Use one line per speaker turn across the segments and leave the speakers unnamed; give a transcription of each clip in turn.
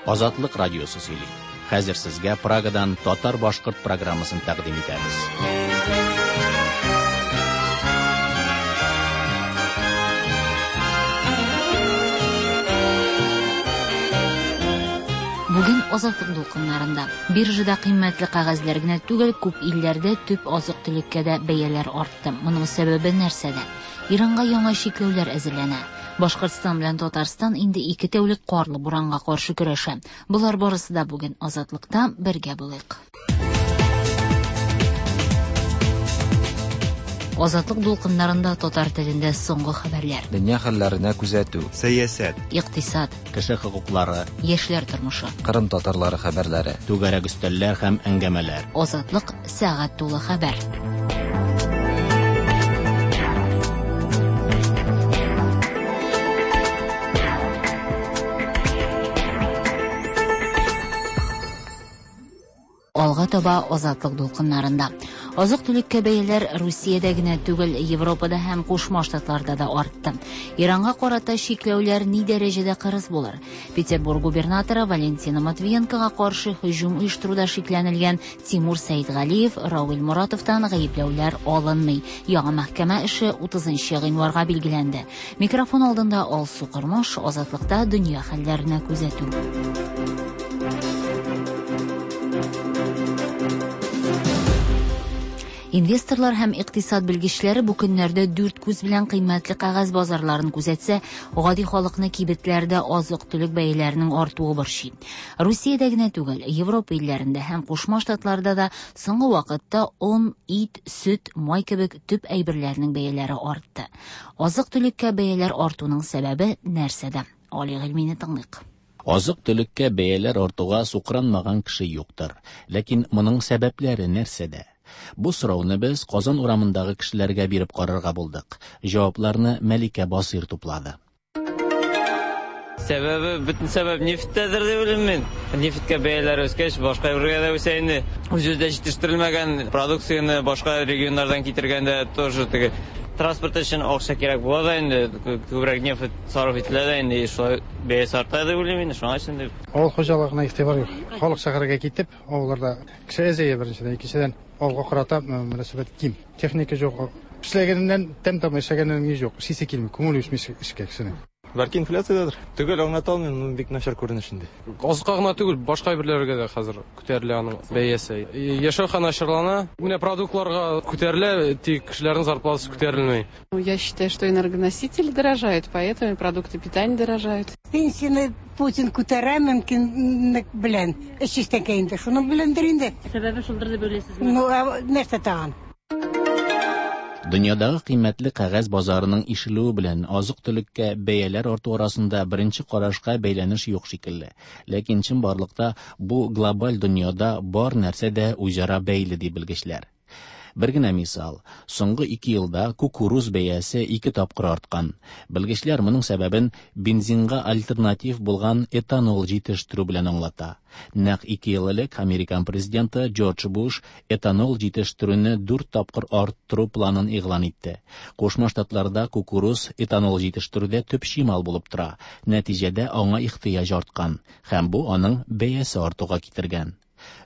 Азатлык радиосы сөйли. Хәзер сезгә Прагадан татар-башкорт программасын тәкъдим итәбез.
Бүген Азатлык дулкыннарында. Биржада кыйммәтле кәгазьләр генә түгел, күп илләрдә төп азык-төлеккә дә бәяләр артты. Моның сәбәбе нәрсәдә? Иранга яңа чикләүләр әзерләнә. Башкортстан белән Татарстан инде 2 тәүлек карлы буранга каршы көрәшә. Болар барысы да бүген Азатлыкта, бергә булыйк. Азатлык дулкыннарында татар телендә соңгы хәбәрләр.
Дөнья хәлләренә күзәтү.
Сәясәт.
Икътисад.
Кеше хокуклары.
Яшьләр тормышы.
Кырым татарлары хәбәрләре.
Түгәрәк өстәлләр һәм әңгәмәләр.
Азатлык сәгать тулы хәбәр. Алга таба Азатлык дулкыннарында. Азык-төлеккә бәяләр Русиядә генә түгел, Европада һәм Кушма Штатларда да артты. Иранга карата чикләүләр ни дәрәҗәдә кырыс булыр? Петербург губернаторы Валентина Матвиенкога каршы һөҗүм оештыруда шикләнелгән Тимур Сәидгалиев, Равил Моратовтан гаепләүләр алынмый. Яңа мәхкәмә эше 30 гыйнварга билгеләнде. Микрофон алдында Алсу Кормаш, Азатлыкта дөнья хәлләренә күзәтү. Инвесторлар һәм икътисад белгечләре бу көннәрдә дүрт күз белән кыйммәтле кәгазь базарларын күзәтсә, гади халыкны кибетләрдә азык-төлек бәяләренең артуы борчый. Русиядә генә түгел, Европа илләрендә һәм Кушма Штатларда да соңгы вакытта он, ит, сөт, май кебек төп әйберләрнең бәяләре артты. Азык-төлеккә бәяләр артуның сәбәбе нәрсәдә? Али Гыйльмине тыңлыйк.
Азык-төлеккә бәяләр артуга сукранмаган кеше юктыр. Ләкин моның сәбәпләре нәрсәдә? Бу сорауны без Казан урамындагы кешеләргә биреп карарга булдык. Җавапларны Мәликә Басыйр туплады.
Сәбәбе, бөтен сәбәп нефтьтәдер дип уйлыйм мин. Нефтькә бәяләр үскәч, башка әйбергә дә үсә инде. Үзебездә җитештерелмәгән продукцияне башка регионнардан китергәндә тоже теге транспорт өчен акча кирәк була да инде, күбрәк нефть сарыф ителә дә инде, шулай бәясе арта дип уйлыйм инде, шуңа өчен дип.
Авыл хуҗалыгына игътибар юк. Халык шәһәргә китеп, авылларда кеше әзәя беренчедән, икенчедән авылга карата мөнәсәбәт ким. Техника юк. Эшләгәненнән тәм тапмый, эшләгәненнән ни юк. Эшлисе килми, күңел үсми эшкә кешенең.
Бәлки инфляциядәдер. Төгәл аңлата алмыйм, но бик начар күренеш инде.
Азыкка гына түгел, башка әйберләргә дә хәзер күтәрелә аның бәясе. Яшәү хәл начарлана. Менә продуктларга күтәрелә, тик кешеләрнең зарплатасы күтәрелми.
Я считаю, что энергоносители дорожают, поэтому и продукты питания дорожают.
Пенсияне Путин күтәрә мөмкинлек белән. Эш чистәнкә инде. Шуның беләндер инде.
Сәбәбе шулдыр дип уйлыйсызмы?
Ну, ә нәрсә тагын?
Дөньядагы кыйммәтле кәгазь базарының ишелүе белән азык-төлеккә бәяләр арту арасында беренче карашка бәйләнеш юк шикелле. Ләкин чынбарлыкта бу глобаль дөньяда бар нәрсә дә үзара бәйле, ди белгечләр. Бер генә мисал, соңгы 2 елда кукуруз бәясе 2 тапкыр арткан. Белгечләр моның сәбәбен бензинга альтернатив булган этанол җитештерү белән аңлата. Нәкъ 2 ел элек Американ президенты Джордж Буш этанол җитештерүне 4 тапкыр арттыру планын игълан итте. Кушма Штатларда кукуруз этанол җитештерүдә төп чимал булып тора. Нәтиҗәдә аңа ихтыяҗ арткан һәм бу аның бәясе артуга китергән.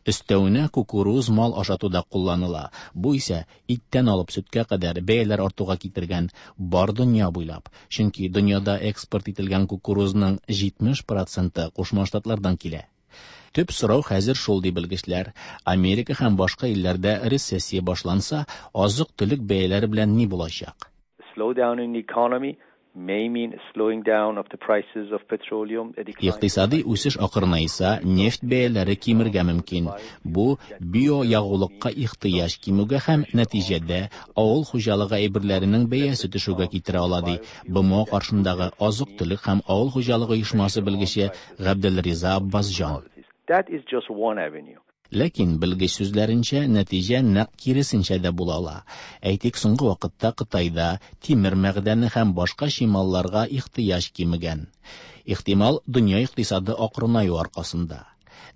Өстәвенә кукуруз мал ашатуда кулланыла. Бу исә иттән алып сөткә кадәр бәяләр артуга китергән бар дөнья буйлап. Чөнки дөньяда экспорт ителгән кукурузның 70% Кушма Штатлардан килә. Төп сорау хәзер шул, ди белгечләр. Америка һәм башка илләрдә рецессия башланса, азык-төлек бәяләре белән ни булачак?
Slowdown in the economy may mean slowing down of the prices of petroleum, a decline.
Икътисади үсеш акрынайса, нефть бәяләре кимергә мөмкин. Бу биоягулыкка ихтыяҗ кимүгә һәм нәтиҗәдә авыл хуҗалыгы әйберләренең бәясе төшүгә китерә ала, ди БМО каршындагы азык-төлек һәм авыл хуҗалыгы оешмасы белгече Габделриза Аббасҗан.
That is just one avenue.
Ләкин белгеч сүзләренчә, нәтиҗә нәкъ киресенчә дә була ала. Әйтик, соңгы вакытта Кытайда тимер мәгъдәне һәм башка чималларга ихтыяҗ кимегән. Ихтимал, дөнья икътисады акрынаю аркасында.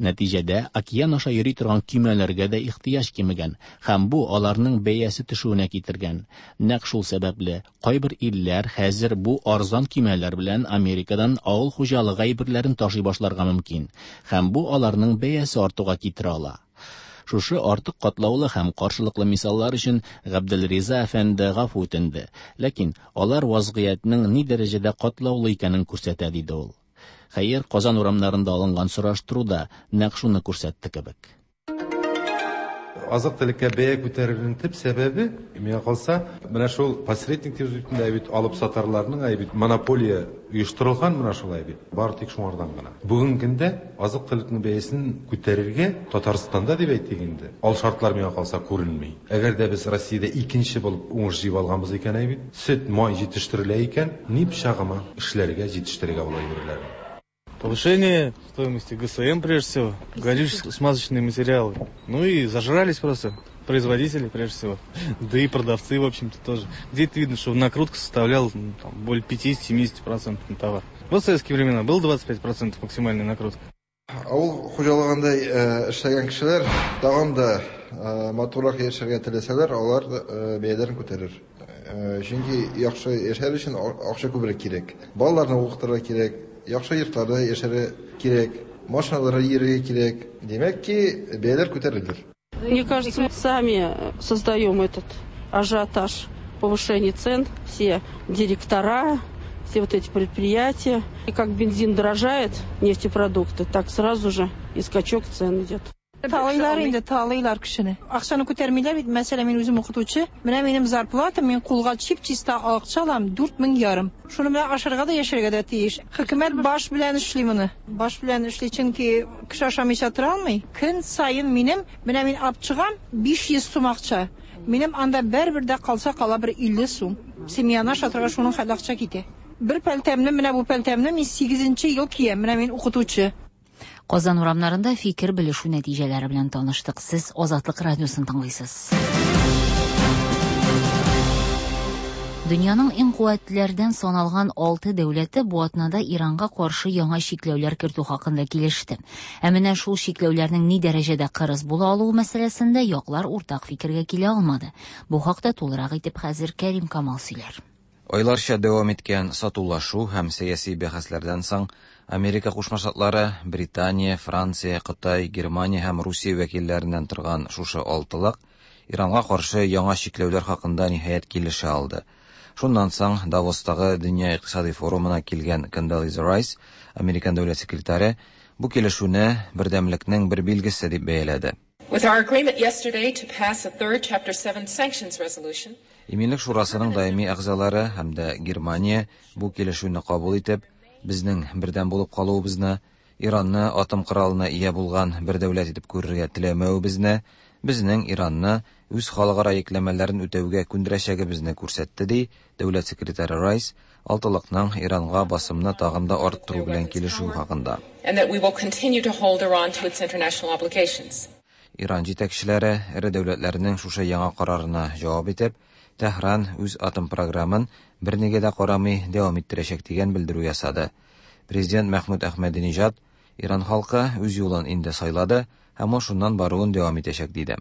Нәтиҗәдә, океан аша йөри торган көймәләргә дә ихтыяҗ кимегән һәм бу аларның бәясе төшүенә китергән. Нәкъ шул сәбәпле, кайбер илләр хәзер бу арзан көймәләр белән Америкадан авыл хуҗалыгы әйберләрен ташый башларга мөмкин һәм бу аларның бәясе артуга китерә ала. Шушы артык катлаулы һәм каршылыклы мисаллар өчен Габделриза әфәнде гафу үтенде, ләкин алар вазгыятьнең ни дәрәҗәдә катлаулы икәнен күрсәтә, диде ул. Хәер, Казан урамнарында алынган сораштыру да нәкъ шуны күрсәтте кебек.
Азык-төлеккә бәя күтәрелүнең төп сәбәбе, миңа калса, менә шул посредник дип бит инде, бит алып сатарларның әй бит монополия оештырылган менә шулай бит. Бары тик шуңардан гына. Бүгенге көндә азык-төлекнең бәясен күтәрергә Татарстанда дип әйтик инде, ал шартлар миңа калса күренми. Әгәр дә без Россиядә икенче булып уңыш җыеп алганбыз икән әй бит, сөт, май җитештерелә икән, ни пычагыма эшләргә, җитештерергә ул әйберләрне.
Повышение стоимости ГСМ, прежде всего, горюче-смазочные материалы. Ну и зажрались просто производители, прежде всего, да и продавцы, в общем-то, тоже. Где-то видно, что накрутка составляла, ну, там, более 50-70% на товар. Вот в советские времена было 25% максимальная накрутка.
Авыл хуҗалыгында эшләгән кешеләр тагын да матуррак яшәргә теләсәләр, алар бәяләрен күтәрер. Чөнки яхшы яшәр өчен акча күбрәк кирәк. Балаларны укытырга кирәк, яхшы йортларда яшәргә кирәк, машиналарда йөрергә кирәк. Димәк ки, бәяләр күтәрелер.
Мне кажется, мы сами создаем этот ажиотаж повышения цен. Все директора, все вот эти предприятия. И как бензин дорожает, нефтепродукты, так сразу же и скачок цен идет.
Талыйлар инде, талыйлар кешене. Акчаны күтәрмиләр бит. Мәсәлән, мин үзем укытучы. Менә минем зарплата, мин кулга чип-чиста акча алам, 4500. Шуны менә ашарга да яшәргә дә тиеш. Хөкүмәт баш белән эшли моны. Баш белән эшли, чөнки кеше ашамыйча тора алмый. Көн саен минем, менә мин алып чыгам 500 сум акча. Минем анда бер-бер дә калса кала бер 50 сум. Семьяны ашатырга шуның хәтле акча китә. Бер пәлтәмне, менә бу пәлтәмне мин 8 ел киям. Менә мин укытучы.
Казан урамнарында фикер белешү нәтиҗәләре белән таныштык. Сез Азатлык радиосын тыңлыйсыз. Дөньяның иң куәтлеләрдән саналган алты дәүләте бу атнада Иранга каршы яңа чикләүләр кертү хакында килеште. Ә менә шул чикләүләрнең ни дәрәҗәдә кырыс була алуы мәсьәләсендә яклар уртак фикергә килә алмады. Бу хакта тулырак итеп хәзер Кәрим Камал сөйләр.
Айларча дәвам иткән сатулашу һәм сәяси бәхәсләрдән соң Америка Кушма Штатлары, Британия, Франция, Кытай, Германия һәм Русия вәкилләреннән торган шушы алтылык Иранга каршы яңа чикләүләр хакында ниһаять килешә алды. Шуннан соң Давостагы Дөнья икътисади форумына килгән Кондолиза Райс, Американ дәүләт секретаре, бу килешүне бердәмлекнең бер билгесе дип бәяләде.
With our agreement yesterday to pass a third Chapter 7 sanctions resolution,
Иминлек шурасының даими әгъзалары һәм дә Германия бу килешүне кабул итеп, безнең бердәм булып калуыбызны, Иранны атом коралына ия булган бер дәүләт итеп күрергә теләмәвебезне, безнең Иранны үз халыкара йөкләмәләрен үтәүгә күндерәчәгебезне күрсәтте, ди дәүләт секретаре Райс, алтылыкның Иранга басымны тагын да арттыру белән килешү хакында.
and that we will continue to hold Iran to its international obligations.
Иран җитәкчеләре эре дәүләтләрнең шушы яңа карарына җавап итеп, Тәһран үз атом програмын бернигә дә карамый дәвам иттерәчәк дигән белдерү ясады. Президент Мәхмүд Әхмәдинежад Иран халкы үз юлын инде сайлады һәм ул шуннан баруын дәвам итәчәк диде.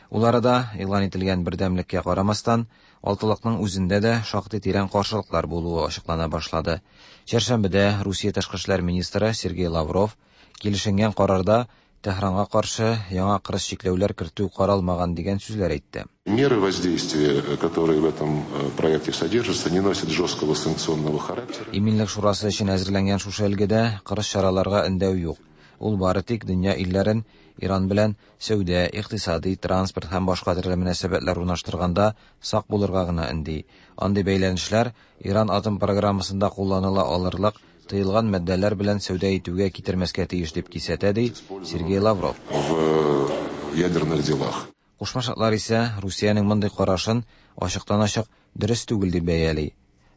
Ул арада игълан ителгән бердәмлеккә карамастан, алтылыкның үзендә дә шактый тирән каршылыклар булуы ачыклана башлады. Чәршәмбедә Русия тышкы эшләр министры Сергей Лавров килешенгән карарда Тәһранга каршы яңа кырыс чикләүләр кертү каралмаган дигән сүзләр әйтте.
Меры воздействия, которые в этом проекте содержатся, не носят жесткого санкционного характера.
Иминлек шурасы өчен әзерләнгән шушы өлгедә кырыс чараларга өндәү юк. Ул бары тик дөнья илләрен Иран белән сәүдә, икътисади, транспорт һәм башка төрле мөнәсәбәтләр урнаштырганда сак булырга гына өнди. Андый бәйләнешләр Иран атом программасында кулланыла алырлык тыелган матдәләр белән сәүдә итүгә китермәскә тиеш дип кисәтә, ди Сергей Лавров.
В ядерных делах.
Кушма Штатлар исә Русиянең мондый карашын ачыктан-ачык дөрес түгел дип бәяли.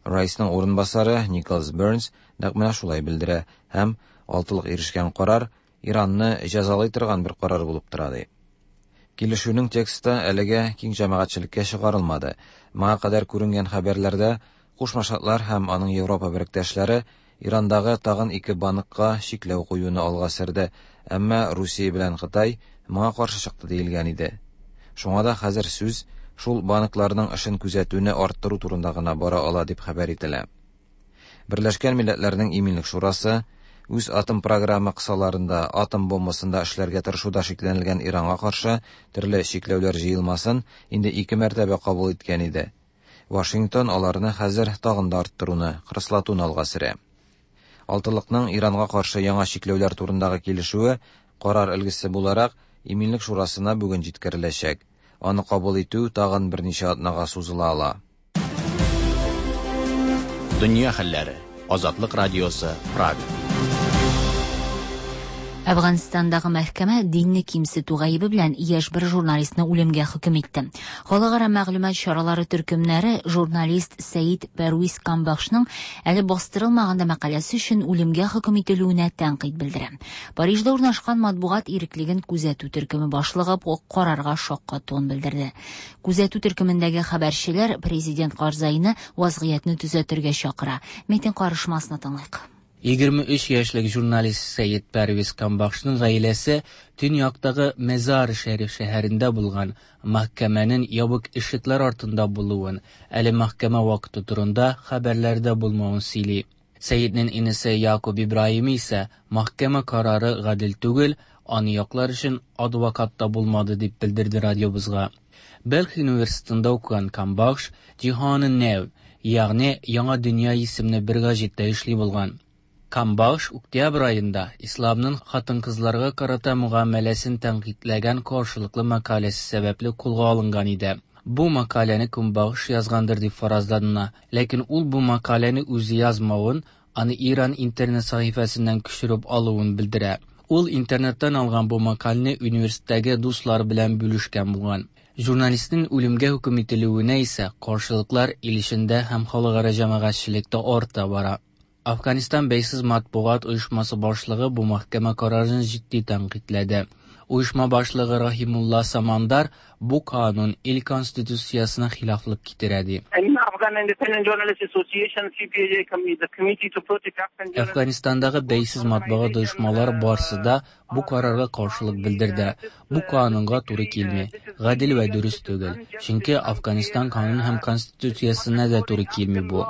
Райсның урынбасары Николас Бернс нәкъ менә шулай белдерә һәм алтылык ирешкән карар Иранны җәзалый торган бер карар булып тора ди. Килешүнең тексты әлегә киң җәмәгатьчелеккә чыгарылмады. Моңа кадәр күренгән хәбәрләрдә Кушма Штатлар һәм аның Европа беректәшләре Ирандагы тагын ике банкка чикләү куюны алга сөрде, әмма Русия белән Кытай моңа каршы чыкты диелгән иде. Шуңа да хәзер сүз шул банкларның эшен күзәтүне арттыру турында гына бара ала дип хәбәр ителә. Берләшкән Милләтләрнең Иминлек Шурасы үз атом програмы кысаларында атом бомбасын да эшләргә тырышуда шикләнелгән Иранга каршы төрле чикләүләр җыелмасын инде ике мәртәбә кабул иткән иде. Вашингтон аларны хәзер тагын да арттыруны, кырыслатуны алга сөрә. Алтылыкның Иранга каршы яңа чикләүләр турындагы килешүе, карар өлгесе буларак, Иминлек шурасына бүген җиткереләчәк. Аны кабул итү тагын берничә атнага сузыла ала.
Дөнья хәлләре. Азатлык радиосы, Прага.
Әфганстандагы мәхкәмә динне кимсетү гаебе белән яшь бер журналистны үлемгә хөкем итте. Халыкара мәгълүмат чаралары төркемнәре журналист Сәид Пәрвиз Камбахшның әле бастырылмаган да мәкаләсе өчен үлемгә хөкем ителүенә тәнкыйть белдерә. Парижда урнашкан матбугат иреклеген күзәтү төркеме башлыгы бу карарга шаккатуын белдерде. Күзәтү төркемендәге хәбәрчеләр президент Карзайны вазгыятьне төзәтергә чакыра. Митинг карышмасына тыңлыйк.
23 яшьлек журналист Сәет Пәрвиз Камбахшның гаиләсе төньяктагы Мезар-Шәриф шәһәрендә булган мәхкәмәнең ябык ишекләр артында булуын, әле мәхкәмә вакыты турында хәбәрләрдә булмавын сөйли. Сәетнең инесе Якуб Ибраһими исә мәхкәмә карары гадел түгел, аны яклар өчен адвокат та булмады дип белдерде радиобызга. Бәлх университетында укыган Камбахш Җиһаны Нәү, ягъни Яңа дөнья исемле бер гәҗиттә эшли булган. Камбахш октябрь аенда исламның хатын-кызларга карата мөгамәләсен тәнкыйтьләгән каршылыклы мәкаләсе сәбәпле кулга алынган иде. Бу мәкаләне Камбахш язгандыр дип фаразлана, ләкин ул бу мәкаләне үзе язмавын, аны Иран интернет сәхифәсеннән күчереп алуын белдерә. Ул интернеттан алган бу мәкаләне университеттагы дуслары белән бүлешкән булган. Журналистның үлемгә хөкем ителүенә исә каршылыклар ил эчендә һәм халыкара җәмәгатьчелектә арта бара. Афганистан бәйсез матбугат оешмасы башлыгы бу мәхкәмә карарын җитди тәнкыйтьләде. Оешма башлыгы Рахимулла Самандар бу канун ил конституциясенә хилафлык китерә ди. Әфганистандагы бәйсез матбугат оешмалары барсы да бу карарга каршылык белдерде. Бу канунга туры килми, гадел вә дөрес түгел. Чөнки Афганистан канун һәм конституциясенә дә туры килми бу.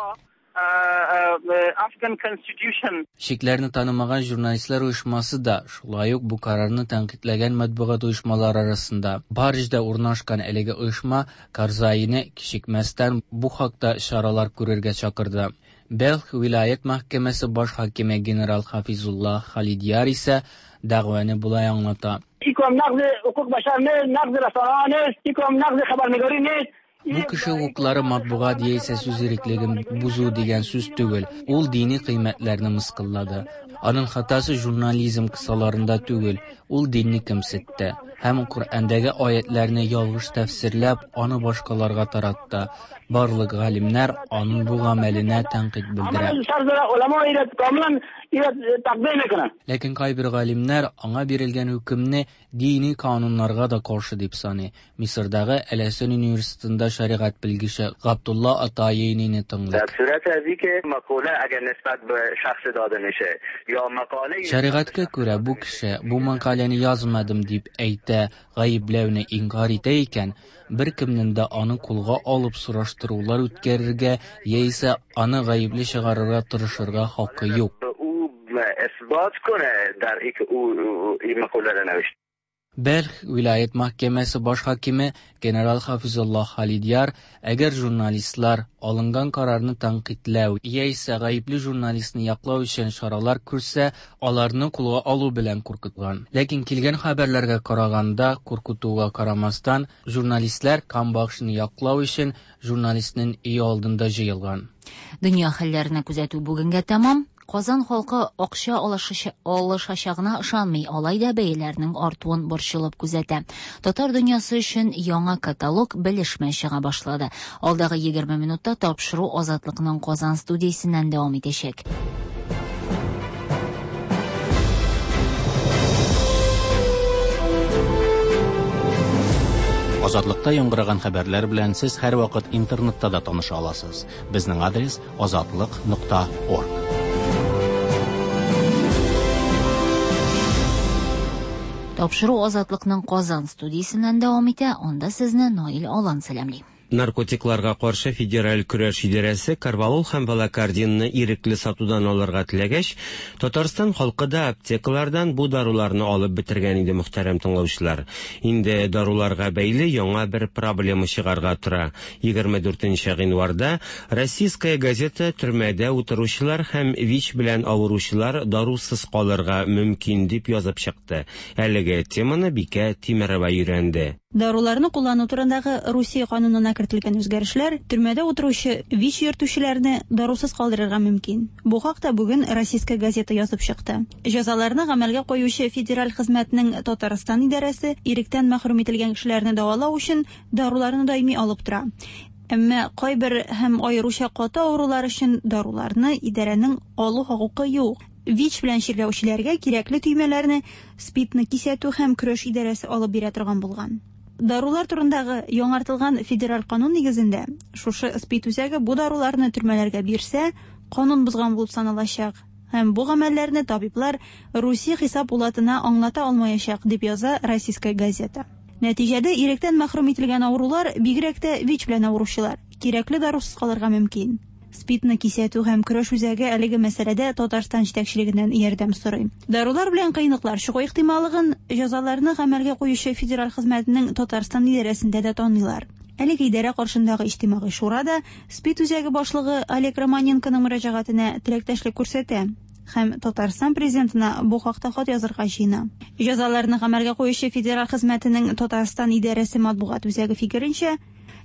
Чикләрне танымаган журналистлар оешмасы да шулай ук бу карарны тәнкыйтьләгән матбугат оешмалары арасында. Парижда урнашкан әлеге оешма Карзайны кичекмәстән бу хакта чаралар күрергә чакырды. Бәлх вилаять мәхкәмәсе баш хакиме генерал Хафизулла Халидияр исә дәгъваны болай аңлата. Бу кеше хокуклары матбугат яисә сүз иреклеген бозу дигән сүз түгел. Ул дини кыйммәтләрне мыскыллады. Аның хатасы журнализм кысаларында түгел, ул динне кимсетте һәм Коръәндәге аятларны ялгыш тәфсирләп, аны башкаларга таратты. Барлык галимнәр аның бу гамәленә тәнкыйть белдерә. Ләкин кайбер галимнәр аңа бирелгән хөкемне дини кануннарга да каршы дип саный. Мисырдагы Әл-Әсән университетында шәригать белгече Габдулла Атаинине тыңлыйк. Шәригатькә күрә бу кеше бу мәкаләне язмадым дип әйтә, гаепләүне инкар итә икән, беркемнең дә аны кулга алып сораштырулар үткәрергә яисә аны гаепле чыгарырга тырышырга хакы юк. Бәлх вилаять мәхкәмәсе баш хакиме генерал Хафизулла Халидияр, әгәр журналистлар алынган карарны тәнкыйтьләү яисә гаепле журналистны яклау өчен чаралар күрсә, аларны кулга алу белән куркыткан. Ләкин килгән хәбәрләргә караганда, куркытуга карамастан, журналистлар Камбахшны яклау өчен журналистның өе алдында җыелган.
Дөнья хәлләренә күзәтү бүгенгә тәмам. Казан халкы акча алышачагына ышанмый, алай да бәяләрнең артуын борчылып күзәтә. Татар дөньясы өчен яңа каталог белешмә чыга башлады. Алдагы 20 минутта тапшыру Азатлыкның Казан студиясеннән дәвам итәчәк.
Азатлыкта яңгыраган хәбәрләр белән сез һәрвакыт интернетта да таныша аласыз. Безнең адрес azatliq.org.
Тапшыру Азатлыкның Казан студиясеннән дәвам итә, анда сезне Наил Алан сәламли.
Наркотикларга каршы федераль көрәш идарәсе корвалол һәм валокординны ирекле сатудан алырга теләгәч, Татарстан халкы да аптекалардан бу даруларны алып бетергән иде, мөхтәрәм тыңлаучылар. Инде даруларга бәйле яңа бер проблема чыгарга тора. 24 гыйнварда Российская газета төрмәдә утыручылар һәм ВИЧ белән авыручылар дарусыз калырга мөмкин дип язып чыкты. Әлеге теманы Бикә Тимерова өйрәнде.
Даруларны куллану турындагы Русия канунына кертелгән үзгәрешләр төрмәдә утыручы ВИЧ йөртүчеләрне дарусыз калдырырга мөмкин. Бу хакта бүген Российская газета язып чыкты. Җәзаларны гамәлгә куючы федераль хезмәтнең Татарстан идарәсе иректән мәхрүм ителгән кешеләрне дәвалау өчен даруларны даими алып тора. Әмма кайбер һәм аеруча каты авырулар өчен даруларны идарәнең алу хокукы юк. ВИЧ белән чирләүчеләргә кирәкле төймәләрне СПИДны кисәтү һәм көрәш идарәсе алып бирә торган булган. Дарулар турындагы яңартылган федераль канун нигезендә, шушы СПИД үзәге бу даруларны төрмәләргә бирсә, канун бозган булып саналачак һәм бу гамәлләрне табиблар Русия хисап пулатына аңлата алмаячак, дип яза Российская газета. Нәтиҗәдә иректән мәхрүм ителгән авырулар, бигрәк тә ВИЧ белән авыручылар, кирәкле дарусыз калырга мөмкин. СПИДны кисәтү һәм көрәш үзәге әлеге мәсьәләдә Татарстан җитәкчелегеннән ярдәм сорый. Дарулар белән кыенлыклар чыгу ихтималлыгын җәзаларны гамәлгә куючы федераль хезмәтнең Татарстан идарәсендә дә таныйлар. Әлеге идарә каршындагы иҗтимагый шура да СПИД үзәге башлыгы Олег Романенконың мөрәҗәгатенә теләктәшлек күрсәтә һәм Татарстан президентына бу хакта хат язырга җыена. Җәзаларны гамәлгә куючы федераль хезмәтенең Татарстан идарәсе матбугат үзәге фикеренчә,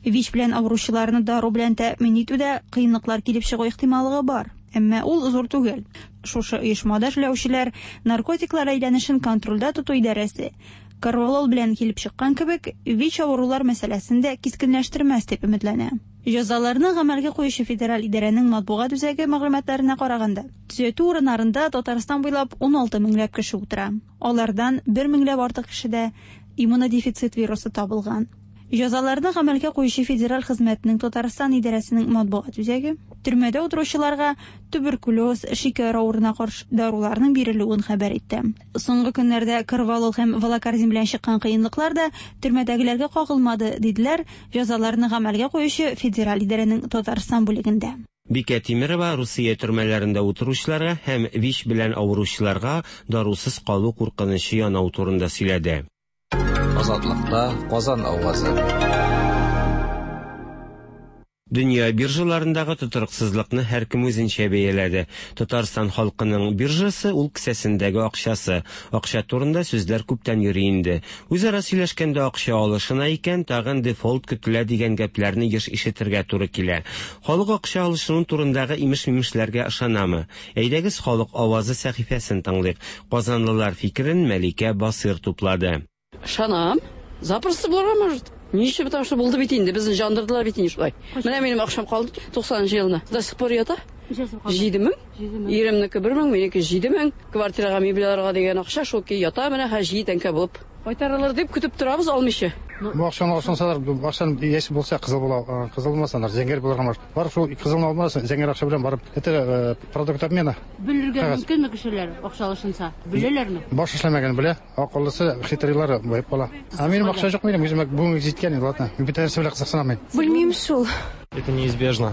ВИЧ белән авыручыларны дару белән тәэмин итүдә кыенлыклар килеп чыгу ихтималлыгы бар, әмма ул зур түгел. Шушы оешмада эшләүчеләр наркотиклар әйләнешен контрольдә тоту идарәсе корвалол белән килеп чыккан кебек, ВИЧ авырулар мәсьәләсен дә кискенләштермәс дип өметләнә. Җәзаларны гамәлгә куючы федераль идарәнең матбугат үзәге мәгълүматларына караганда, төзәтү урыннарында Татарстан буйлап 16 меңләп кеше утыра. Алардан 1 меңләп артык кешедә иммунодефицит вирусы табылган. Җәзаларны гамәлгә куючы федераль хезмәтнең Татарстан идарәсенең матбугат үзәге төрмәдә утыручыларга туберкулез, шикәр авыруына каршы даруларның бирелүен хәбәр итте. Соңгы көннәрдә корвалол һәм валокордин белән чыккан кыенлыклар да төрмәдәгеләргә кагылмады, диделәр җәзаларны гамәлгә куючы федераль идарәнең Татарстан бүлегендә.
Бикә Тимерова Русия төрмәләрендә утыручыларга һәм ВИЧ белән авыручыларга дарусыз калу куркынычы янау турында сөйләде.
Азатлыкта Казан авазы.
Дөнья биржаларындагы тотрыксызлыкны һәркем үзенчә бәяләде. Татарстан халкының биржасы ул кесәсендәге акчасы. Акча турында сүзләр күптән йөри инде. Үзара сөйләшкәндә акча алышына икән, тагын дефолт көтелә дигән гәпләрне еш ишетергә туры килә. Халык акча алышыну турындагы имеш-мимешләргә ышанамы? Әйдәгез халык авазы сәхифәсен тыңлыйк. Казанлылар фикерен Мәликә Басыйр туплады.
Ышанам. Запросто булырга может. Ничек, потому что булды бит инде, безне жандырдылар бит инде шулай. Менә минем акчам калды 90 елына. До сих пор ята. 7000. Иремнеке 1000, минеке 7000. Квартирага мебель алырга дигән акча шул ки ята менә хәзер җиде тәңкә булып. Кайтарылыр дип көтеп торабыз алмыйча.
Бу акчаны алсалар, бу акчаны яшь булса кызыл була, кызыл булмаса, зәңгәр булырга может. Барып шул кызылны алмасаң, зәңгәр акча белән барып, это продукт обмена.
Бүлергә мөмкинме кешеләр акча алышынса? Бүләләрме?
Баш эшләмәгән белә. Акыллысы, хитрлары баеп кала. Ә минем акча юк минем, үземә бүгенге җиткән инде, ладно. Мин бөтен нәрсә белән кызыксынамыйм.
Белмим шул.
Это неизбежно.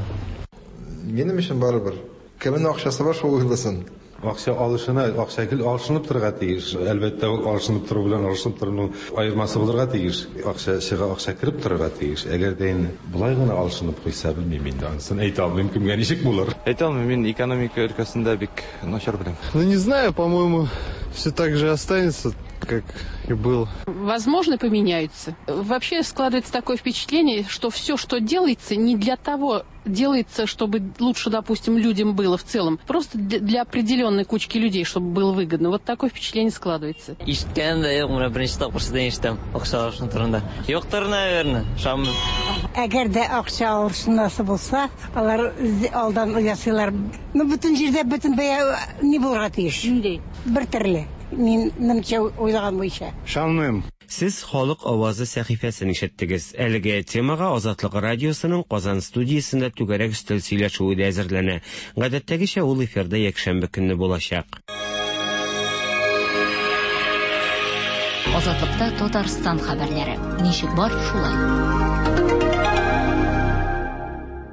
Минем өчен барыбер. Кемнең акчасы бар, шул уйласын.
Акча алышына, акча гел алышынып торырга тиеш. Әлбәттә, ул алышынып тору белән алышынып торуның аермасы булырга тиеш. Акча чыга, акча кереп торырга тиеш. Әгәр дә инде болай гына алышынып куйса, белмим инде, анысын әйтә алмыйм, кемгә ничек булыр.
Әйтә алмыйм, мин экономика өлкәсендә бик начар беләм.
Ну, не знаю, по-моему, все так же останется, как и было.
Возможно, поменяются. Вообще складывается такое впечатление, что все, что делается, не для того делается, чтобы лучше, допустим, людям было в целом. Просто для определенной кучки людей, чтобы было выгодно. Вот такое впечатление складывается.
Ишеткәнем дә юк, менә беренче тапкыр сездән ишетәм акча алышыну турында. Юктыр, наверное, ышанмыйм.
Әгәр дә акча алышынасы булса, алар алдан ясыйлар. Ну, бөтен җирдә бөтен бәя ни булырга тиеш?
Нинди?
Бер төрле. Минемчә уйлаган буенча.
Ышанмыйм. Сез Халык авазы сәхифәсен ишеттегез. Әлеге темага Азатлык радиосының Казан студиясендә түгәрәк өстәл сөйләшүе дә әзерләнә. Гадәттәгечә ул эфирда якшәмбе көнне булачак.
Азатлыкта Татарстан хәбәрләре. Ничек бар, шулай.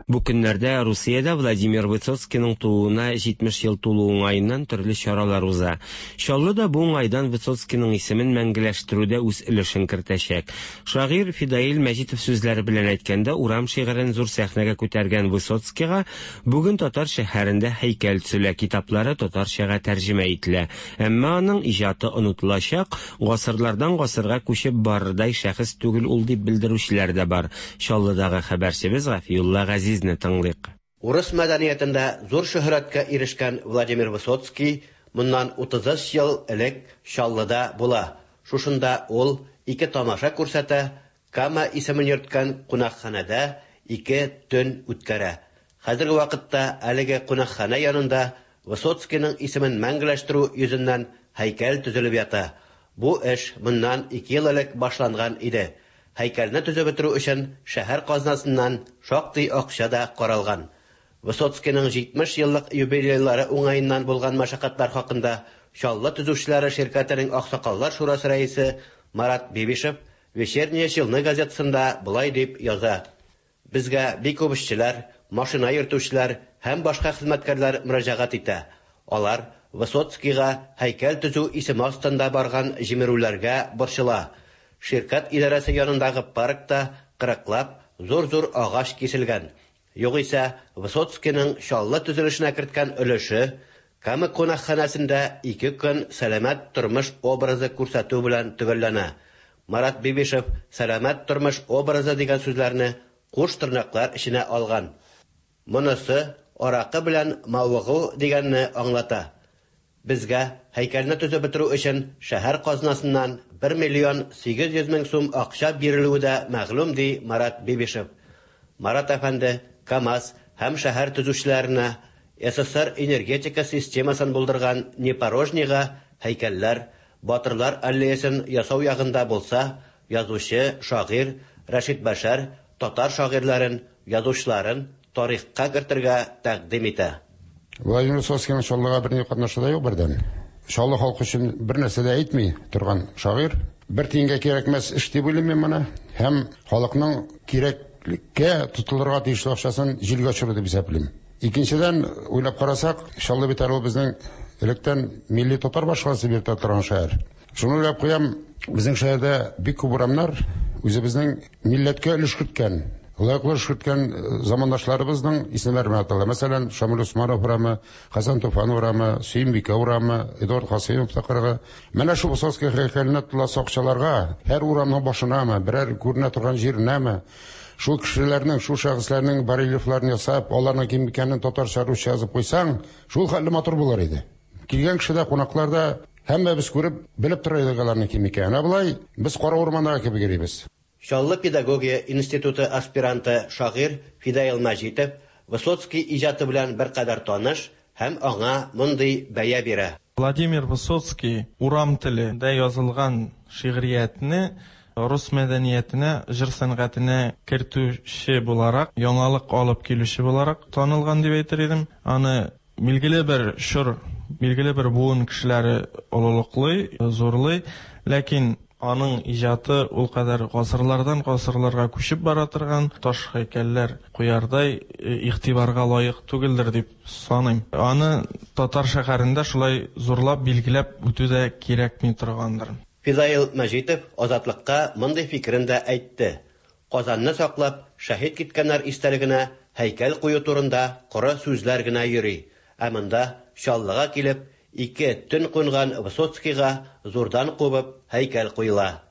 Бу көннәрдә Русиядә Владимир Высоцкийның тууына 70 ел тулу уңаеннан төрле чаралар уза. Чаллы да бу уңайдан Высоцкийның исемен мәңгеләштерүдә үз өлешен кертәчәк. Шагыйрь Фидаил Мәҗитов сүзләре белән әйткәндә, урам шигырен зур сәхнәгә күтәргән Высоцкийга бүген татар шәһәрендә һәйкәл төзелә, китаплары татарчага тәрҗемә ителә. Әмма аның иҗаты онытылачак, гасырлардан гасырга күчеп барырдай шәхес түгел ул дип белдерүчеләр дә бар. Чаллыдагы хәбәрчебез Гафиулла Газизне тыңлыйк.
Урыс мәдәниятендә зур шөһрәткә ирешкән Владимир Высоцкий моннан 33 ел элек Чаллыда була. Шушында ул ике тамаша күрсәтә, Кама исемен йөрткән кунакханәдә ике төн үткәрә. Хәзерге вакытта әлеге кунакханә янында Высоцкийның исемен мәңгеләштерү йөзеннән һәйкәл төзелеп ята. Бу эш моннан ике ел элек башланган иде. Һәйкәлне төзеп бетерү өчен шәһәр казнасыннан шактый акча да каралган. Высоцкийның 70 еллык юбилейлары уңаеннан булган мәшәкатьләр хакында Чаллы төзүчеләре ширкәтенең аксакаллар шурасы рәисе Марат Бибишев Вечерние Челны газетасында болай дип яза: Безгә бик күп эшчеләр, машина йөртүчеләр һәм башка хезмәткәрләр мөрәҗәгать итә. Алар Высоцкийга һәйкәл төзү исеме астында барган җимерүләргә борчыла. Ширкәт идарәсе янындагы паркта кырыклап зур-зур агач киселгән. Югыйсә, Высоцкийның Чаллы төзелешенә керткән өлеше Кама кунакханәсендә ике көн сәламәт тормыш образы күрсәтү белән төгәлләнә. Марат Бибишев сәламәт тормыш образы дигән сүзләрне куш тырнаклар эченә алган. Монысы аракы белән мавыгу дигәнне аңлата. Безгә һәйкәлне төзеп бетерү өчен шәһәр казнасыннан 1 миллион 800 мең сум акча бирелүе дә мәгълүм, ди Марат Бибишев. Марат әфәнде КАМАЗ һәм шәһәр төзүчеләренә СССР энергетика системасын булдырган Непорожнийга һәйкәлләр, Батырлар аллеясын ясау ягында булса, язучы, шагыйрь Рәшит Бәшәр татар шагыйрьләрен, язучыларын тарихка кертергә тәкъдим итә.
Владимир Высоцкийның Чаллыга берни катнашы да юк бердән. Чаллы халкы өчен бер нәрсә дә әйтми торган шагыйрь. Бер тиенгә кирәкмәс эш дип уйлыйм мин моны. Һәм халыкның кирәклеккә тотылырга тиешле акчасын җилгә очыру дип исәплим. Икенчедән, уйлап карасак, Чаллы бит әле ул безнең электән милли татар башкаласы дип йөртә торган шәһәр. Шуны уйлап куям, безнең шәһәрдә бик күп урамнар үзебезнең милләткә өлеш керткән, лаеклы өлеш керткән замандашларыбызның исемнәре белән атала. Мәсәлән, Шамил Усманов урамы, Хәсән Туфан урамы, Сөембикә урамы, Эдуард Касыймов тыкрыгы. Менә шул Высоцкий һәйкәленә тотыласы акчаларга, һәр урамның башынамы, берәр күренә торган җиренәме, шул кешеләрнең, шул шәхесләрнең барельефларын ясап, аларның кем икәнен татарча, русча язып куйсаң, шул хәтле матур булыр иде. Килгән кеше дә, кунаклар да, һәммәбез күреп, белеп тора идек аларның кем икәнен. Ә болай без кара урмандагы кебек йөрибез.
Чаллы педагогия институты аспиранты шагыйрь Фидаил Мәҗитов Высоцкий иҗаты белән беркадәр таныш һәм аңа мондый бәя бирә.
Владимир Высоцкий урам теле ндә язылган шигъриятне рус мәдәниятенә, җыр сәнгатенә кертүче буларак, яңалык алып килүче буларак танылган дип әйтер идем. Аны Билгеле бер чор, билгеле бер буын кешеләре олылыклый, зурлый, ләкин аның иҗаты ул кадәр гасырлардан гасырларга күчеп бара торган таш һәйкәлләр куярдай игътибарга лаек түгелдер дип саныйм. Аны татар шәһәрендә шулай зурлап билгеләп үтү дә кирәкми торгандыр.
Фидаил Мәҗитов Азатлыкка мондый фикерен дә әйтте, Казанны саклап, шәһит киткәннәр истәлегенә һәйкәл кую турында коры сүзләр генә йөри, ә монда Чаллыга килеп, ике төн кунган Высоцкийга зурдан кубып һәйкәл куела.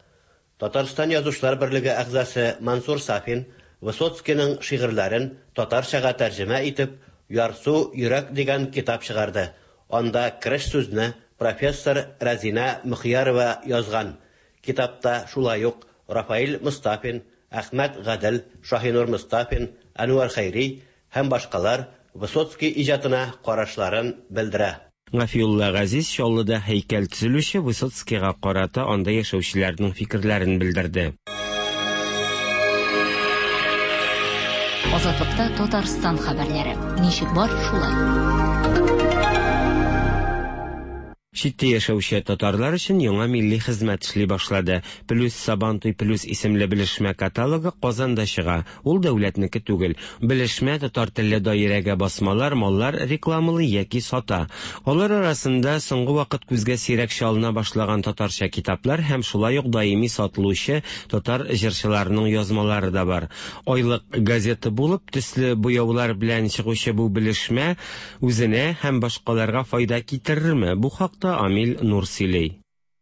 Татарстан Язучылар берлеге әгъзасы Мансур Сафин Высоцкийның шигырьләрен татарчага тәрҗемә итеп, Ярсу йөрәк дигән китап чыгарды. Анда кереш сүзне профессор Рәзинә Мөхиярова язган. Китапта шулай ук Рафаил Мостафин, Әхмәт Гадел, Шаһинур Мостафин, Әнвәр Хәйри һәм башкалар Высоцкий иҗатына карашларын белдерә.
Гафиулла Газиз Чаллыда һәйкәл төзелүче Высоцкийга карата анда яшәүчеләрнең фикерләрен белдерде.
Азатлыкта Татарстан хәбәрләре. Ничек бар, шулай.
Читтә яшәүче татарлар өчен яңа милли хезмәт эшли башлады. Плюс Сабантуй плюс исемле белешмә каталогы Казанда чыга. Ул дәүләтнеке түгел. Белешмә татар телле даирәгә басмалар, маллар рекламалый яки сата. Алар арасында соңгы вакыт күзгә сирәк чалына башлаган татарча китаплар һәм шулай ук даими сатылучы татар җырчыларының язмалары да бар. Айлык газета булып, төсле буяулар белән чыгучы бу белешмә үзенә һәм башкаларга файда китерерме? Бу хакта Амил Нур сөйли.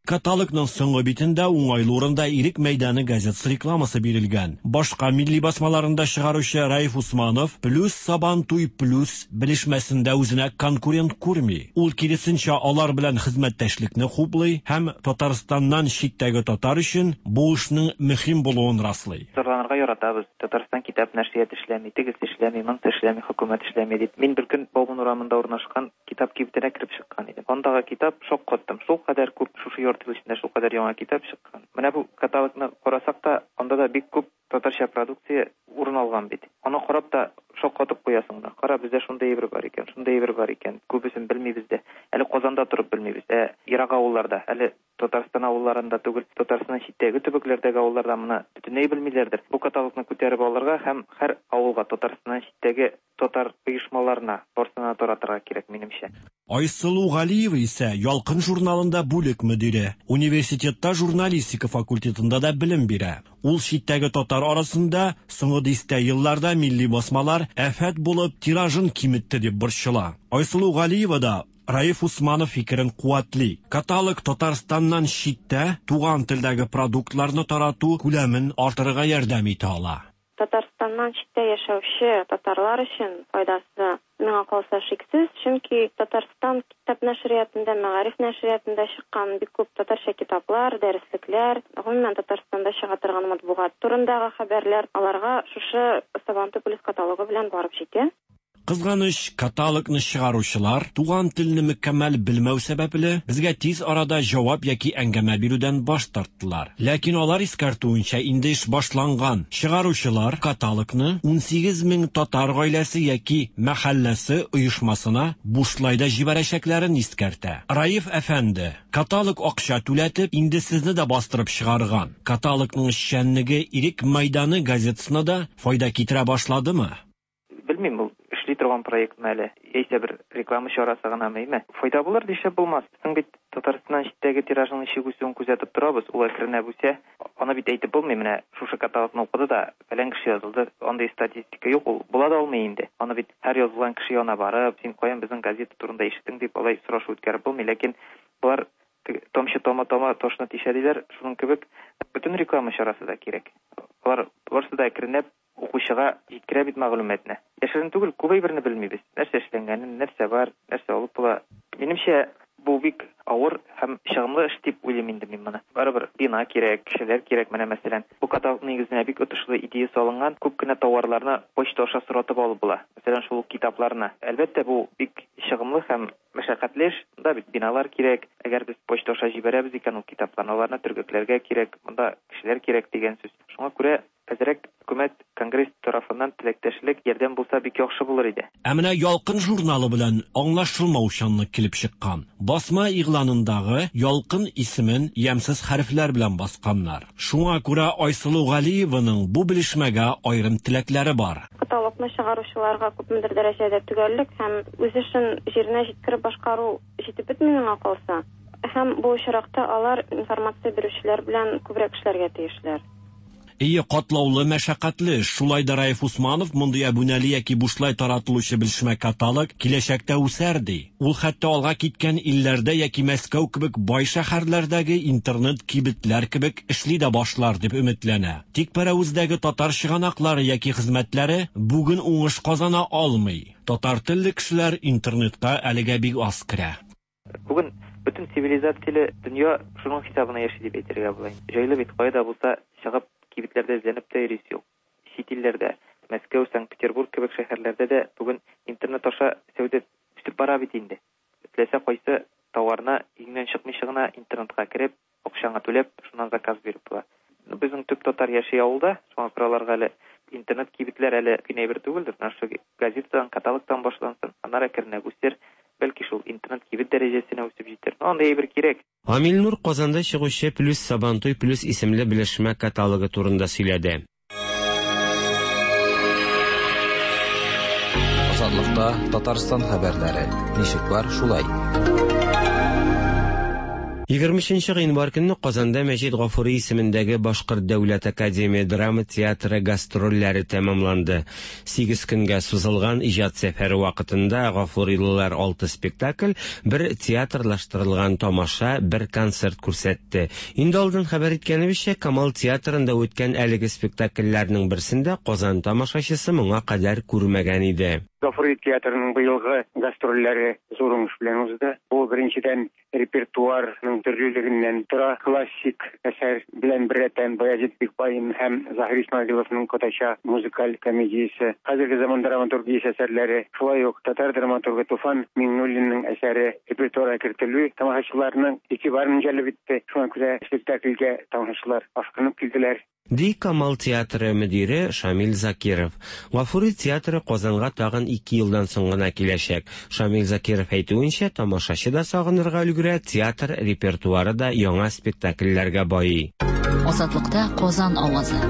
Каталогның соңгы битендә уңайлы урында Ирек мәйданы газетасы рекламасы бирелгән. Башка милли басмаларын да чыгаручы Раиф Усманов Плюс Сабантуй плюс белешмәсендә үзенә конкурент күрми. Ул киресенчә алар белән хезмәттәшлекне хуплый һәм Татарстаннан читтәге татар өчен бу эшнең мөһим булуын раслый.
Зарланырга яратабыз, Татарстан китап нәшрияты эшләми, тегесе эшләми, монысы эшләми, хөкүмәт эшләми дип. Мин беркөн Бауман урамында урнашкан китап кибетенә кереп чыккан идем. Андагы китап, шаккаттым, шулкадәр күп, шушы ярты ел эчендә шулкадәр яңа китап чыккан. Менә бу каталогны карасак та, анда да бик күп татарча продукция урын алган бит. Аны карап та шаккатып куясың да. Кара, бездә шундый әйбер бар икән, шундый әйбер бар икән. Күбесен белмибез дә. Әле Казанда торып белмибез. Ә ерак авылларда, әле Татарстан авылларында түгел, Татарстаннан читтәге төбәкләрдәге авылларда моны бөтенләй белмиләрдер. Бу каталогны күтәреп алырга һәм һәр авылга, Татарстаннан читтәге татар оешмаларына, барсына да таратырга кирәк, минемчә.
Айсылу Галиева исә Ялкын журналында бүлек мөдире, университетта журналистика факультетында да белем бирә. Ул читтәге татар арасында соңгы дистә елларда милли басмалар афәт булып тиражын киметте дип борчыла. Айсылу Галиева да Раиф Усманов фикерен куәтли. Каталог Татарстаннан читтә туган телдәге продуктларны тарату күләмен артырырга ярдәм итә ала.
Татарстаннан читтә яшәүче татарлар өчен файдасы, миңа калса, шиксез, чөнки Татарстан китап нәшриятында, Мәгариф нәшриятында чыккан бик күп татарча китаплар, дәреслекләр, гомумән, Татарстанда чыга торган матбугат турындагы хәбәрләр аларга шушы Сабантуй плюс каталогы белән барып җитә.
Кызганыч, каталогны чыгаручылар, туган телне мөкәммәл белмәү сәбәпле, безгә тиз арада җавап яки әңгәмә бирүдән баш тарттылар. Ләкин алар искәртүенчә, инде эш башланган. Чыгаручылар каталогны 18 мең татар гаиләсе яки мәхәлләсе оешмасына бушлай да җибәрәчәкләрен искәртә. Раиф әфәнде, каталог акча түләтеп, инде сезне дә бастырып чыгарган. Каталогның эшчәнлеге Ирек мәйданы газетасына да файда китерә башладымы?
Белмим, ул эшли торган проектмы әле, яисә бер реклама чарасы гынамы, әйме? Файда булыр дишеп булмас. Безнең бит Татарстаннан читтәге тиражның ничек үсүен күзәтеп торабыз, ул әкренләп үсә. Аны бит әйтеп булмый, менә шушы каталогны укыды да, фәлән кеше язылды, андый статистика юк, ул була да алмый инде. Аны бит һәр язылган кеше янына барып, син каян безнең газета турында ишеттең дип алай сорашу үткәреп булмый. Ләкин болар тамчы тама-тама ташны тишә диләр, шуның кебек бөтен реклама чарасы да кирәк. Алар барысы да әкренләп укучыга җиткерә бит мәгълүматны. Яшерен түгел, күп әйберне белмибез. Нәрсә эшләнгәнен, нәрсә бар, нәрсә алып була. Минемчә, бу бик авыр һәм чыгымлы эш дип уйлыйм инде мин моны. Барыбер бина кирәк, кешеләр кирәк. Менә мәсәлән, бу каталог нигезенә бик отышлы идея салынган. Күп кенә тауарларны почта аша соратып алып була. Мәсәлән, шул ук китапларны. Әлбәттә, бу бик чыгымлы һәм мәшәкатьле эш. Монда бит биналар кирәк. Әгәр без почта аша җибәрәбез икән ул китапларны, аларны төргәкләргә кирәк. Монда кешеләр кирәк дигән сүз. Шуңа күрә әзрәк хөкүмәт, конгресс тарафыннан теләктәшлек, ярдәм булса бик яхшы булыр иде.
Ә менә Ялкын журналы белән аңлашылмаучанлык килеп чыккан. Басма игъланындагы Ялкын исемен ямьсез хәрефләр белән басканнар. Шуңа күрә Айсылу Галиеваның бу белешмәгә аерым теләкләре бар.
Каталогны чыгаручыларга күпмедер дәрәҗәдә төгәллек һәм үз эшен җиренә җиткереп башкару җитеп бетми миңа калса. Һәм бу очракта алар информация бирүчеләр белән күбрәк эшләргә тиешләр.
Ие, катлаулы, мәшәкатьле эш. Шулай да Раиф Усманов мондый әбүнәле яки бушлай таратылучы белешмә каталог киләчәктә үсәр ди. Ул хәтта алга киткән илләрдә яки Мәскәү кебек бай шәһәрләрдәге интернет кибетләр кебек эшли дә башлар дип өметләнә. Тик Пәрәвездәге татар чыганаклары яки хезмәтләре бүген уңыш казана алмый. Татар телле кешеләр интернетка әлегә бик аз керә.
Бүген бөтен цивилизацияле дөнья шуның хисабына яши дип әйтергә була. Җайлы бит, кая да булса чыгып кибетләрдә эзләнеп тә йөрисе юк. Чит илләрдә, Мәскәү, Санкт-Петербург кебек шәһәрләрдә дә бүген интернет аша сәүдә үсеп бара бит инде. Теләсә кайсы товарны өеңнән чыкмыйча гына интернетка кереп, акчаңа түләп, шуннан заказ биреп була. Безнең төп татар яши авылда, шуңа күрә аларга әле интернет кибетләр әле генә әйбер түгелдер. Менә шушы газетадан, каталогтан башлансын, аннары әкренләп үсер. Бәлки шул интернет кибет дәрәҗәсенә үсеп җитәр. Ну, андый әйбер кирәк.
Гамил Нур Казанда чыгучы Плюс Сабантуй плюс исемле белешмә каталогы турында сөйләде.
Азатлыкта Татарстан хәбәрләре. Ничек бар, шулай.
23 гыйнвар көнне Казанда Мәҗит Гафури исемендәге Башкорт дәүләт академия драма театры гастрольләре тәмамланды. Сигез көнгә сузылган иҗат сәфәре вакытында гафурилылар алты спектакль, бер театрлаштырылган тамаша, бер концерт күрсәтте. Инде алдан хәбәр иткәнебезчә, Камал театрында үткән әлеге спектакльләрнең берсен дә Казан тамашачысы моңа кадәр күрмәгән иде.
Гафури театрының быелгы гастрольләре зур уңыш белән узды. Бу, беренчедән, репертуарның төрлелегеннән тора. Классик әсәр белән беррәттән Баязит Бикбаин һәм Заһир Исмәгыйловның Кодача музыкаль комедиясе, хәзерге заман драматургиясе әсәрләре, шулай ук татар драматургы Туфан Миңнуллинның әсәре репертуарга кертелү тамашачыларның игътибарын җәлеп итте. Шуңа күрә спектакльгә тамашачылар ашкынып килделәр.
Ди Камал театры мөдире Шамил Закиров. Гафури театры Казанга тагын ике елдан соң гына киләчәк. Шамил Закиров әйтүенчә, тамашачы да сагынырга өлгерә, театр репертуары да яңа спектакльләргә байый.
Азатлыкта Казан авазы.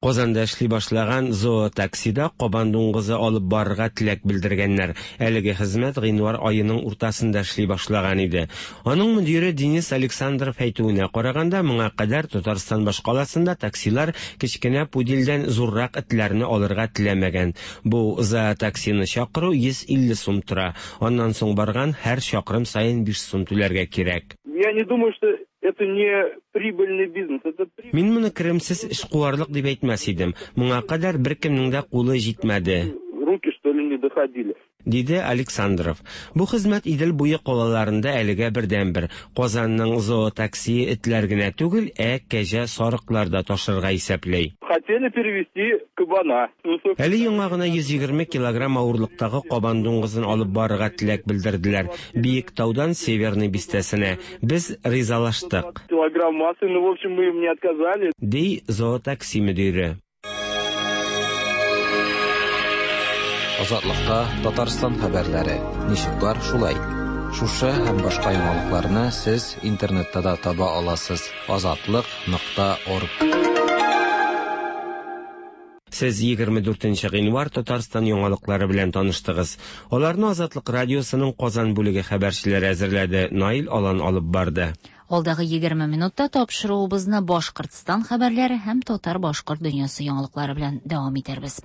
Казанда эшли башлаган зоотаксида кабан дуңгызы алып барырга теләк белдергәннәр. Әлеге хезмәт гыйнвар аеның уртасында эшли башлаган иде. Аның мөдире Денис Александров әйтүенә караганда, моңа кадәр Татарстан башкаласында таксилар кечкенә пудельдән зуррак этләрне алырга теләмәгән. Бу зоотаксины чакыру 150 сум тора. Аннан соң барган һәр чакрым саен 5 сум түләргә кирәк.
Я не думаю, что это не прибыльный бизнес. Это
Мин моны керемсез эшкуарлык дип әйтмәс идем. Моңа кадәр беркемнең дә кулы җитмәде.
Руки, что ли, не доходили.
Диде Александров. Бу хезмәт Идел буе калаларында әлегә бердәнбер. Казанның зоотаксие этләр генә түгел, ә кәҗә, сарыклар да ташырга исәпли.
Хотели перевести кабана.
Әле яңа гына 120 килограмм авырлыктагы кабан дуңгызын алып барырга теләк белдерделәр. Биектаудан Северный бистәсенә. Без ризалаштык.
Килограмм массы, ну, в общем, мы им не отказали.
Ди зоотакси мөдире.
Азатлыкта Татарстан хәбәрләре. Ничек бар, шулай. Шушы һәм башка яңалыкларны сез интернетта да таба аласыз. Азатлык.орг.
Сез 24 гыйнвар Татарстан яңалыклары белән таныштыгыз. Аларны Азатлык радиосының Казан бүлеге хәбәрчеләре әзерләде. Наил Алан алып барды.
Алдагы 20 минутта тапшыруыбызны Башкортстан хәбәрләре һәм татар-башкорт дөньясы яңалыклары белән дәвам итәрбез.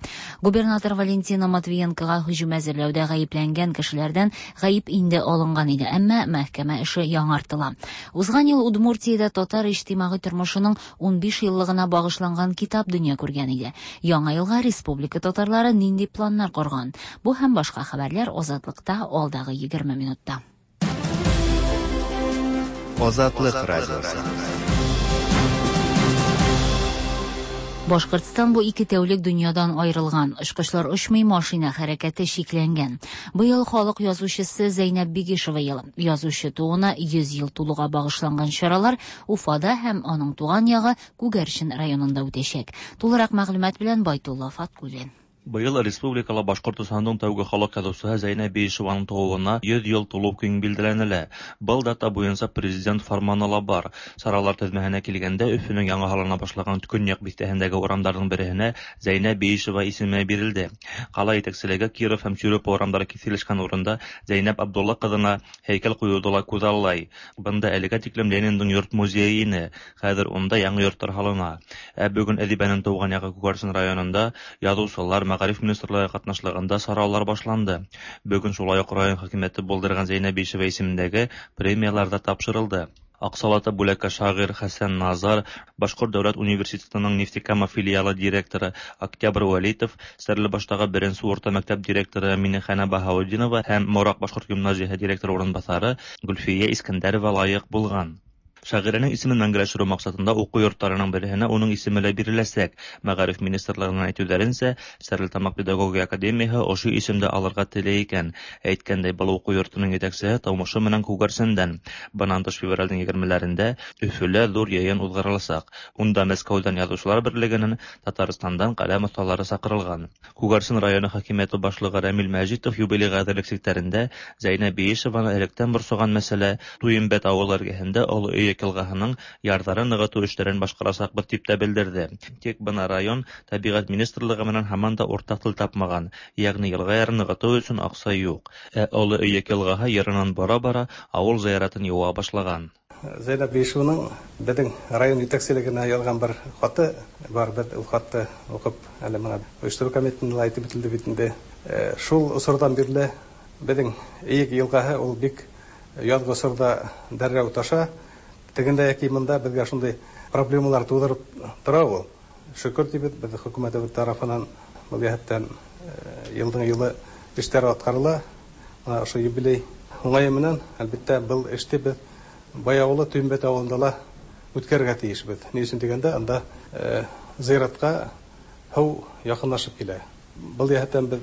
Губернатор Валентина Матвиенкога һөҗүм әзерләүдә гаепләнгән кешеләрдән гаеп инде алынган иде, әмма мәхкәмә эше яңартыла. Узган ел Удмуртиядә татар иҗтимагый тормышының 15 еллыгына багышланган китап дөнья күргән иде. Яңа елга республика татарлары нинди планнар корган? Бу һәм башка хәбәрләр Азатлыкта алдагы 20 минутта.
Азатлык радиосы.
Башкортстан бу ике тәүлек дөньядан аерылган. Очкычлар очмый, машина хәрәкәте чикләнгән. Быел халык язучысы Зәйнәб Бигишева елы. Язучы тууына 100 ел тулуга багышланган чаралар Уфада һәм аның туган ягы Күгәрчен районында үтәчәк. Тулырак мәгълүмат белән Байтулла Фаткуллин.
Быел республикала Башкортостанның тәүге халык язучысы Зәйнәб Биишеваның тууына 100 ел тулу көн билгеләнелә. Был дата буенча президент фарманы ла бар. Чаралар тезмәһенә килгәндә, Өфөнең яңа һалына башлаган Көньяк бистәһендәге урамдарның береһенә Зәйнәб Биишева исеме бирелде. Кала итәкчелеге Киров һәм Чурюпа урамдары киселешкән урында Зәйнәб Абдулла кызына һәйкәл куюды ла күзаллай. Бында әлегә тиклем Лениндың йорт музее ине. Хәзер унда яңа йортлар һалына. Ә бүген әдибәнең туган ягы Күгәрчен районында язучылар, мәгариф министрлыгы катнашлыгында чаралар башланды. Бүген шулай ук район хакимияте булдырган Зәйнәб Биишева исемендәге премияләр дә тапшырылды. Аксалата бүләккә шагыйрь Хәсән Назар, Башкорт дәүләт университетының Нефтекама филиалы директоры Октябрь Вәлитов, Стәрлебаштагы беренче урта мәктәп директоры Минехана Баһаутдинова һәм Морак башкорт гимназиясе директоры урынбасары Гөлфия Искәндәрова лаек булган. Шагыйрәнең исемен мәңгеләштерү максатында уку йортларының береһенә уның исеме лә биреләсәк. Мәгариф министрлыгыннан әйтүләренчә, Стәрлетамак педагогия академияһе ошо исемде алырга тели икән. Әйткәндәй, был уку йортының җитәкчеһе тумышы менән Күгәрсендән. Бынан тыш февральдең егермеләрендә Өфөлә зур йыйын уҙғарыласаҡ. Унда Мәскәүҙән Яҙыусылар берлегенән, Татарстандан ҡәләм оҫталары саҡырылған. Күгәрсен районы хакимиәте башлығы Рәмил Мәжитов юбилейға әҙерлек сиктәрендә Зәйнәб Биишеваны электән борсоған мәсьәлә Туйымбәт ауылы эргәһендә Оло Өйөк йылғаһының ярҙарын нығытыу эштәрен башҡарасаҡбыҙ тип тә белдерҙе. Тик бына район тәбиғәт министрлығы менән һаман да уртаҡ тел тапмаған, йәғни йылға ярын нығытыу өсөн аҡса юҡ. Ә Оло Өйөк йылғаһы йырынан бара-бара ауыл зыяратын йыуа башлаған.
Зәйнәб Биишеваның беҙҙең район етәкселегенә яҙған бер хаты бар, беҙ ул хатты уҡып, әле бына ойоштороу комитетында ла әйтеп үтелде бит инде. Шул осорҙан бирле беҙҙең Эйек йылғаһы ул бик яҙғы осорҙа дәррәү таша. Тегендә йәки бында беҙгә шундай проблемалар тыуҙырып тора ул. Шөкөр тибеҙ, беҙ хөкүмәтебеҙ тарафынан был йәһәттән йылдың йылы эштәр атҡарыла. Бына ошо юбилей уңайы менән, әлбиттә, был эште беҙ Бай ауылы, Туйымбәт ауылында ла үткәрергә тейешбеҙ. Ни өсөн тигәндә, анда зыяратҡа һыу яҡынлашып килә. Был йәһәттән беҙ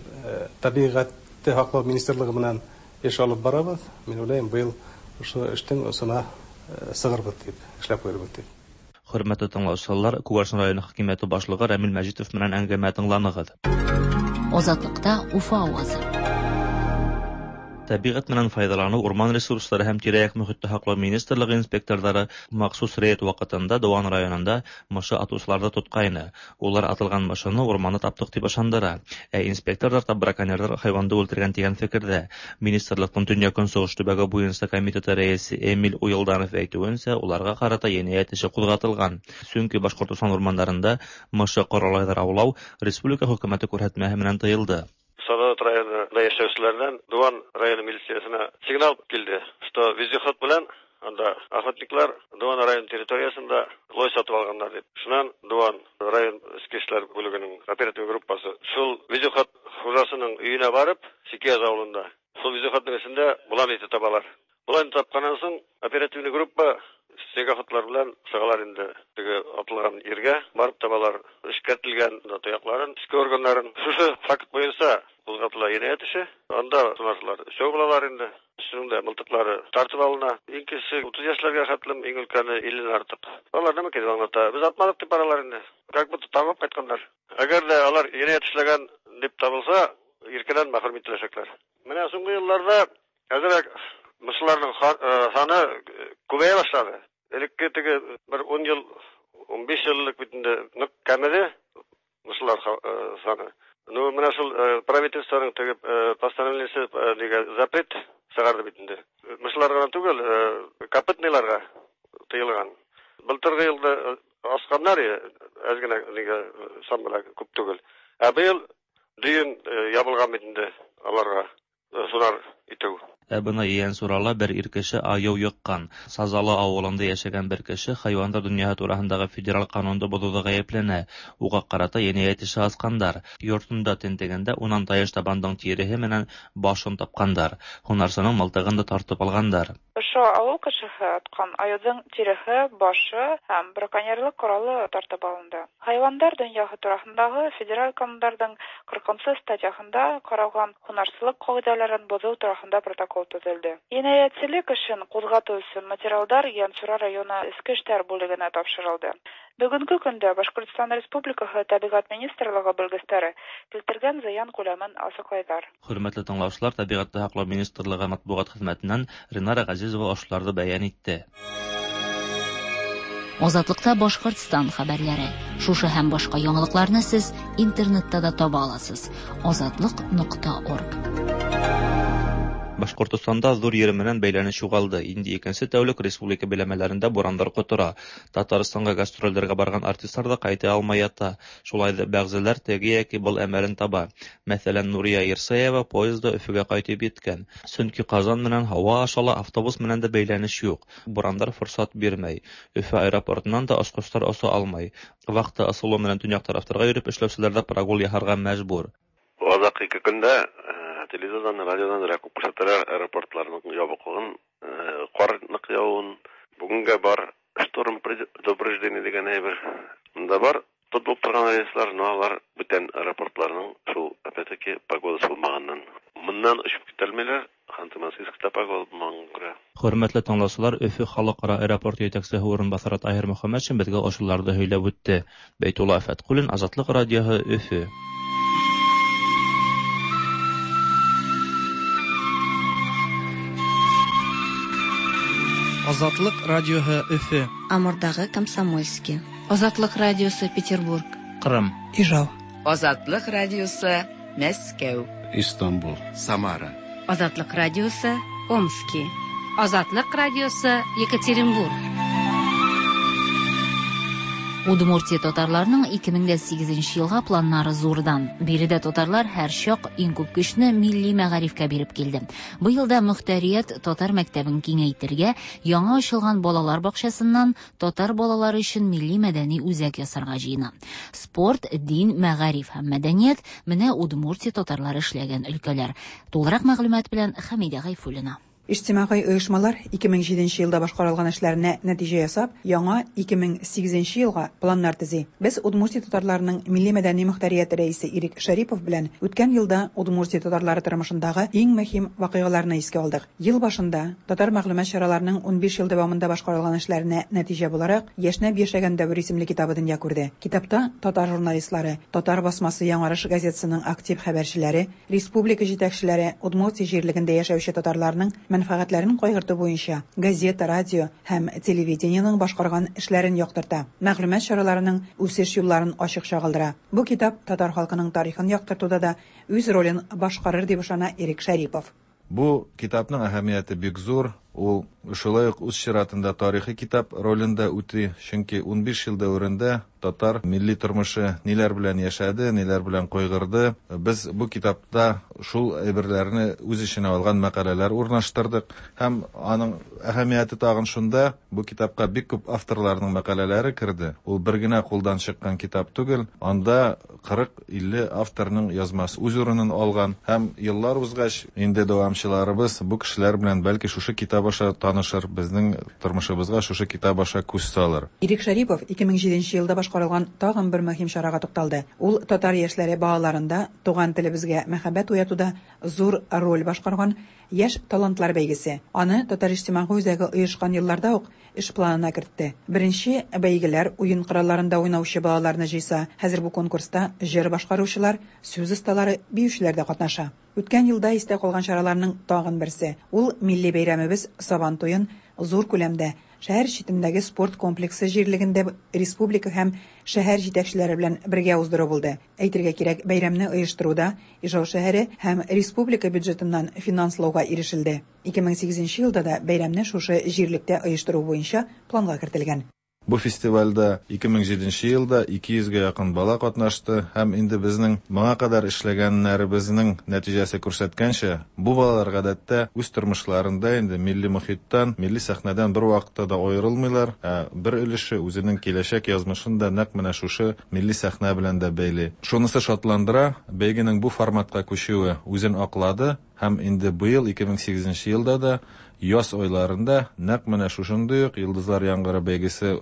тәбиғәтте һаҡлау министрлығы менән эш алып барабыҙ. Мин уйлайым, быйыл ошо эштең осона сығырбыҙ тип, эшләп ҡуйырбыҙ тип.
Хөрмәтле тыңлаусылар, Күгәрсен районы хакимиәте башлығы Рәмил Мәжитов менән әңгәмә тыңланығыҙ.
Азатлыкта Уфа авазы.
Тәбиғәт менән файҙаланыу, урман ресурстары һәм тирә-яҡ мөхитте һаҡлау министрлығы инспекторҙары махсус рейд ваҡытында Дыуан районында мышы атыусыларҙы тотҡайны. Улар атылған мышыны урманда таптыҡ тип ышандыра. Ә инспекторҙар та браконьерҙар хайуанды үлтергән тигән фекерҙә. Министрлыҡтың төньяҡ-көнсығыш төбәге буйынса комитеты рәйесе Эмиль Уйылданов әйтеүенсә, уларға ҡарата енәйәт эше ҡуҙғатылған. Сөнки Башҡортостан урмандарында мышы ҡоралайҙар аулау республика хөкүмәте күрһәтмәһе менән тыйылды.
Салават районында яшәүселәрҙән Дыуан районы милициясына сигнал килде, что вездеход менән анда охотниклар Дыуан район территориясында лой сатып алғандар дип. Шунан Дыуан район эске эшләр бүлегенең оператив группасы шул вездеход хужасының өйөнә барып, Сикияз ауылында шул вездеходның эсендә болан ите табалар. Болан тапҡаннан һуң оперативный группа снегоходлар белән сығалар инде теге атылған ергә, барып табалар эшкәртелгән тояҡларын, эске органнарын. Шушы факт буйынса ҡуҙғатыла енәйәт эше. Анда һунарсылар өсәү булалар инде. Өсөнөң дә мылтыҡлары тартып алына. Иң кесе утыҙ йәшләргә хәтлем, иң өлкәне илленән артыҡ. Алар нәмә килеп аңлата? Беҙ атманыҡ тип баралар инде. Как будто табып ҡайтҡандар. Әгәр ҙә алар енәйәт эшләгән дип табылса, иркенән мәхрүм ителәсәкләр. Менә һуңғы йылларҙа әҙерәк мышыларның һаны күбәйә башланы. Элекке теге бер ун йыл, ун биш йыллык бит инде ныҡ кәмеде мышылар саны. Ну, менә шул правительствоның теге постановлениесе нигә запрет сығарҙы бит инде. Мышыларга гына түгел, копытныйларга тыйылған. Былтырғы йылда асҡандар, әҙ генә нигә сан белән күп түгел. Ә быйыл дөйөм ябылған бит инде аларға һунар итеү.
Ә бына Ейәнсурала бер ир кеше айыу йыҡҡан. Сазалы ауылында йәшәгән бер кеше хайуандар донъяһы тураһындағы федераль ҡанунды боҙоуҙа ғәйепләнә. Уға ҡарата енәйәт эше асҡандар. Йортонда тентегәндә унан тайыш табандың тиреһе менән башын тапҡандар. Һунарсының мылтығын да тартып алғандар.
Ошо ауыл кешеһе атҡан айыуҙың тиреһе, башы һәм браконьерлыҡ ҡоралы тартып алынды. Хайуандар донъяһы тураһындағы федераль ҡанундарҙың ҡырҡынсы статьяһында ҡаралған һунарсылыҡ ҡағиҙәләрен боҙоу тураһында протокол төҙөлдө. Енәйәтселек эшен ҡуҙғатыу өсөн материалдар Ейәнсура районы Эске эштәр бүлегенә тапшырылды. Бөгөнгө көндә Башҡортостан Республикаһы Тәбиғәт министрлығы белгестәре килтергән зыян күләмен асыҡлайҙар.
Хөрмәтле тыңлаусылар, Тәбиғәтте һаҡлау министрлығы матбуғат хеҙмәтенән Ринара Ғәзизова ошоларҙы бәйән итте.
Азатлыкта Башҡортостан хәбәрләре. Шушы һәм башҡа яңалыҡларны һеҙ интернетта да таба аласыз. Азатлык нуҡта орг.
Башҡортостанда ҙур ер менән бәйләнеш юғалды. Инде икенсе тәүлек республика биләмәләрендә бурандар ҡотора. Татарстанға гастролдәргә барған артистлар да ҡайта алмай ята. Шулай ҙа бәғзеләр теге йәки был әмәлен таба. Мәҫәлән, Нурия Ирсаева поезда Өфөгә ҡайтып еткән. Сөнки Ҡазан менән һауа аша ла, автобус менән дә бәйләнеш юҡ. Бурандар форсат бирмәй. Өфө аэропортынан да осҡостар оса алмай. Вахта ысулы менән төньяҡ тарафтарға йөрөп эшләүселәр ҙә прогул яһарға мәжбүр.
Аҙаҡ ике көндә телевизордан, радиодан күп күрһәтәләр аэропортларның ябыҡлығын, ҡар ныҡ яуын. Бүгенгә бар шторм предупреждение дигән әйбер. Монда бар тотылып торган рейслар, но алар бүтән аэропортларның шул, опять-таки, погодасы булмаганнан. Моннан очып китәлмиләр, Ханты-Мансийскта погода булмаганга күрә.
Хөрмәтле тыңлаучылар, Өфе халыкара аэропорты җитәкчесе урынбасары Таһир Мөхәммәтшин безгә ошуларды һөйләп үтте. Бәйтулла Фәткуллин, Азатлык радиоһы, Өфе.
Азатлык радиоһы Өфе.
Амурдагы Комсомольский.
Азатлык радиосы Петербург.
Кырым.
Ижау.
Азатлык радиосы Мәскәү.
Истанбул. Самара.
Азатлык радиосы Омски. Азатлык радиосы Екатеринбург.
Удмуртия татарларының 2008 елга планнары зурдан. Биредә татарлар һәрчак иң күп көчне милли мәгарифкә биреп килде. Быел да мөхтәрият татар мәктәбен киңәйтергә, яңа ачылган балалар бакчасыннан татар балалары өчен милли мәдәни үзәк ясарга җыена. Спорт, дин, мәгариф һәм мәдәният менә Удмуртия татарлары эшләгән өлкәләр. Тулырак мәгълүмат белән Хәмидә Гайфуллина.
Иҗтимагый оешмалар 2007 елда башкарылган эшләренә нәтиҗә ясап, яңа 2008 елга планнар төзи. Без Удмуртия татарларының милли-мәдәни мөхтәрияте рәисе Ирек Шәрипов белән үткән елда Удмуртия татарлары тормышындагы иң мөһим вакыйгаларны искә алдык. Ел башында татар мәгълүмат чараларының 15 ел дәвамында башкарылган эшләренә нәтиҗә буларак Яшьнәп яшәгән дәвер исемле китабы дөнья күрде. Китапта татар журналистлары, татар басмасы Яңарыш газетасының актив хәбәрчеләре, республика җитәкчеләре, Удмуртия җирлегендә яшәүче татарларның мәнфәгатьләрен кайгырту буенча газета, радио һәм телевидениенең башкарган эшләрен яктырта, мәгълүмат чараларының үсеш юлларын ачык чагылдыра. Бу китап татар халкының тарихын яктыртуда да үз ролен башкарыр дип ышана Ирек Шәрипов.
Бу китапның әһәмияте бик зур. Ул шулай ук үз чиратында тарихи китап ролен дә үти, чөнки 15 ел дәверендә татар милли тормышы ниләр белән яшәде, ниләр белән кайгырды. Без бу китапта шул әйберләрне үз эченә алган мәкаләләр урнаштырдык. Һәм аның әһәмияте тагын шунда, бу китапка бик күп авторларның мәкаләләре керде. Ул бер генә кулдан чыккан китап түгел, анда 40-50 авторның язмасы үз урынын алган. Һәм еллар узгач, инде дәвамчыларыбыз бу кешеләр белән бәлки шушы китап аша танышыр, безнең тормышыбызга шушы китап аша күз салыр.
Ирек Шәрипов 2007 елда башкарылган тагын бер мөһим чарага тукталды. Ул татар яшьләре балаларында туган телебезгә мәхәббәт уятуда зур роль башкарган Яшь талантлар бәйгесе. Аны Татар иҗтимагый үзәге оешкан елларда ук эш планына кертте. Беренче бәйгеләр уен коралларында уйнаучы балаларны җыйса, хәзер бу конкурста җыр башкаручылар, сүз осталары, биючеләр дә катнаша. Үткән елда истә калган чараларның тагын берсе, ул милли бәйрәмебез Сабан туен зур күләмдә шәһәр читендәге спорт комплексы җирлегендә республика һәм шәһәр җитәкчеләре белән бергә уздыру булды. Әйтергә кирәк, бәйрәмне оештыруда Ижау шәһәре һәм республика бюджетыннан финанслауга ирешелде. 2008 елда да бәйрәмне шушы җирлектә оештыру буенча планга кертелгән.
Бу фестивальдә 2007 елда 200 гә якын бала катнашты һәм инде безнең моңа кадәр эшләгәннәребезнең нәтиҗәсе күрсәткәнчә, бу балалар гадәттә үз тормышларында инде милли мохиттан, милли сәхнәдән бервакытта да аерылмыйлар, ә бер өлеше үзенең киләчәк язмышын да нәкъ менә шушы милли сәхнә белән дә бәйли. Шунысы шатландыра, бәйгенең бу форматка күчүе үзен аклады һәм инде быел 2008 елда да яз айларында нәкъ менә шушындый ук Йолдызлар яңгыры бәйгесе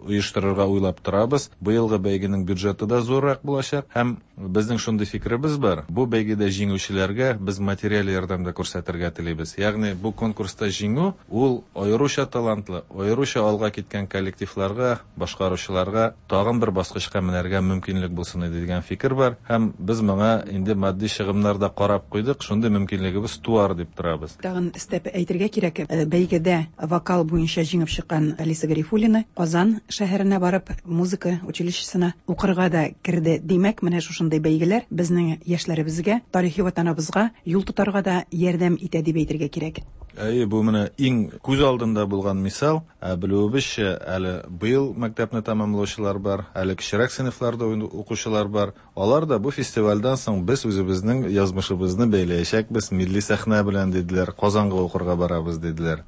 оештырырга уйлап торабыз. Быелгы бәйгенең бюджеты да зуррак булачак һәм безнең шундый фикеребез бар. Бу бәйгедә җиңүчеләргә без материаль ярдәм дә күрсәтергә телибез. Ягъни бу конкурста җиңү ул аеруча талантлы, аеруча алга киткән коллективларга, башкаручыларга тагын бер баскычка менәргә мөмкинлек булсын иде дигән фикер бар һәм без моңа инде матди чыгымнар да карап куйдык, шундый мөмкинлегебез туар дип торабыз.
Тагын өстәп әйтергә кирәк, бәйгедә вокал буенча җиңеп чыккан Алиса Гарифуллина Казан шәһәренә барып, музыка училищесына укырга да керде. Димәк, менә шушындый бәйгеләр безнең яшьләребезгә, тарихи ватаныбызга юл тотарга да ярдәм итә дип әйтергә кирәк.
Әйе, бу менә иң күз алдында булган мисал. Ә белүебезчә, әле быел мәктәпне тәмамлаучылар бар, әле кечерәк сыйныфларда укучылар бар. Алар да бу фестивальдән соң без үзебезнең язмышыбызны бәйләячәкбез милли сәхнә белән диделәр, Казанга укырга барабыз диделәр.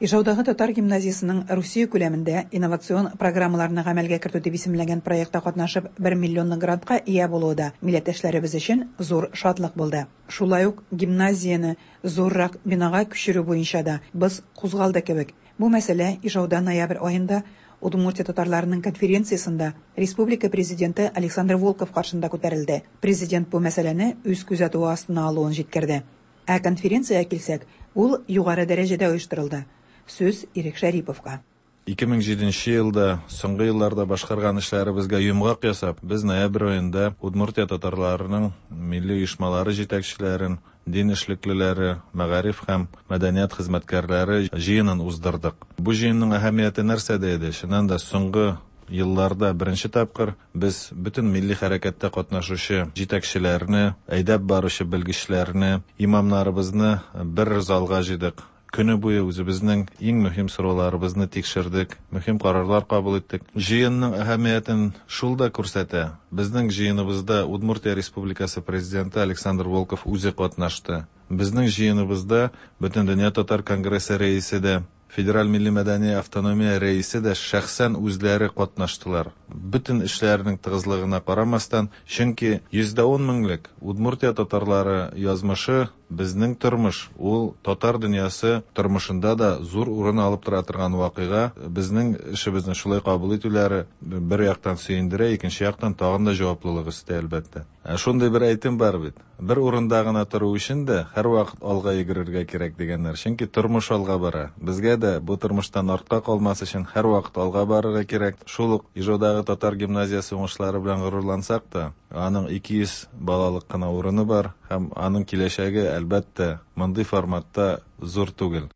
Ижаудагы татар гимназиясенең Русия күләмендә инновацион программаларны гамәлгә кертү дип исемләнгән проектта катнашып, бер миллионлык грантка ия булуы да милләттәшләребез өчен зур шатлык булды. Шулай ук гимназияне зуррак бинага күчерү буенча да боз кузгалды кебек. Бу мәсьәлә Ижауда ноябрь аенда Удмуртия татарларының конференциясендә республика Президенты Александр Волков каршында күтәрелде. Президент бу мәсьәләне үз күзәтүе астына алуын җиткерде. Ә конференциягә килсәк, ул югары дәрәҗәдә оештырылды. Сүз Ирек Шәриповка.
2007 елда, соңгы елларда башкарган эшләребезгә йомгак ясап, без ноябрь аенда Удмуртия татарларының милли оешмалары җитәкчеләрен, дин эшлеклеләре, мәгариф һәм мәдәният хезмәткәрләре җыенын уздырдык. Бу җыенның әһәмияте нәрсәдә иде? Чыннан да, соңгы елларда беренче тапкыр без бөтен милли хәрәкәттә катнашучы җитәкчеләрне, әйдәп баручы белгечләрне, имамнарыбызны бер залга җыйдык. Көне буе үзебезнең иң мөһим сорауларыбызны тикшердек, мөһим карарлар кабул иттек. Җыенның әһәмиятен шул да күрсәтә, безнең җыеныбызда Удмуртия Республикасы Президенты Александр Волков үзе катнашты. Безнең җыеныбызда Бөтендөнья татар конгрессы рәисе дә, Федераль милли-мәдәни автономия рәисе дә шәхсән үзләре катнаштылар. Бөтен эшләренең тыгызлыгына карамастан, чөнки 110 меңлек Удмуртия татарлары язмышы, безнең тормыш, ул татар дөньясы тормышында да зур урын алып тора торган вакыйга. Безнең эшебезне шулай кабул итүләре бер яктан сөендерә, икенче яктан тагын да җаваплылык өсти, әлбәттә. Ә шундый бер әйтем бар бит. Бер урында гына тору өчен дә һәрвакыт алга йөгерергә кирәк дигәннәр. Чөнки тормыш алга бара. Безгә дә бу тормыштан артка калмас өчен һәрвакыт алга барырга кирәк. Шул ук Ижаудагы татар гимназиясе уңышлары белән горурлансак та, аның 200 балалык кына урыны бар һәм аның киләчәге, әлбәттә, мондый форматта зур түгел.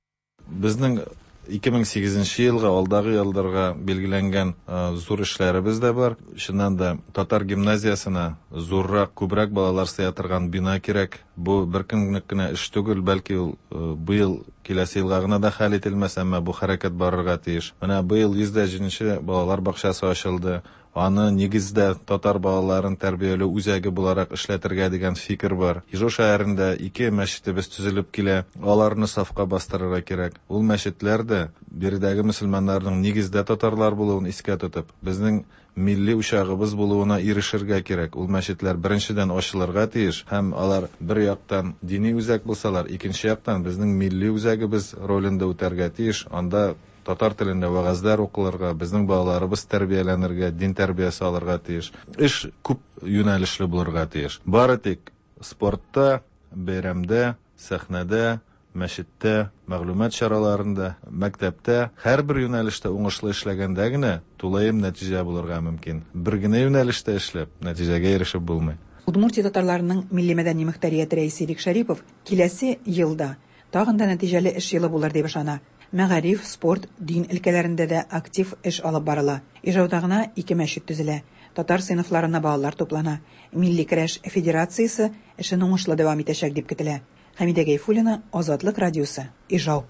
Безнең 2008 нче елга, алдагы елларга билгеләнгән зур эшләребез дә бар. Чыннан да, татар гимназиясенә зуррак, күбрәк балалар сыя торган бина кирәк. Бу бер көнлек кенә эш түгел, бәлки ул быел, киләсе елга гына да хәл ителмәс, әмма бу хәрәкәт барырга тиеш. Менә быел 107 нче балалар бакчасы ачылды. Аны, нигездә, татар балаларын тәрбияләү үзәге буларак эшләтергә дигән фикер бар. Ижау шәһәрендә ике мәчетебез төзелеп килә. Аларны сафка бастырырга кирәк. Ул мәчетләр дә, биредәге мөселманнарның нигездә татарлар булуын искә тотып, безнең милли учагыбыз булуына ирешергә кирәк. Ул мәчетләр, беренчедән, ачылырга тиеш һәм алар бер яктан дини үзәк булсалар, икенче яктан безнең милли үзәгебез ролен дә үтәргә тиеш. Анда Татар телендә вәгазьләр укылырга, безнең балаларыбыз тәрбияләнергә, дин тәрбиясе алырга тиеш. Эш күп юнәлешле булырга тиеш. Бары тик спортта, бәйрәмдә, сәхнәдә, мәчеттә, мәгълүмат чараларында, мәктәптә, һәрбер юнәлештә уңышлы эшләгәндә генә тулаем нәтиҗә булырга мөмкин. Бер генә юнәлештә эшләп, нәтиҗәгә ирешеп булмый.
Удмуртия татарларының милли-мәдәни мөхтәрияте рәисе Ирек Шәрипов киләсе ел да тагын да нәтиҗәле эш елы булыр дип ышана. Мәгариф, спорт, дин өлкәләрендә дә актив эш алып барыла. Ижауда гына ике мәчет төзелә, татар сыйныфларына балалар туплана, милли көрәш федерациясе эшен уңышлы дәвам итәчәк дип көтелә. Хәмидә Гәйфуллина, Азатлык радиосы, Ижау.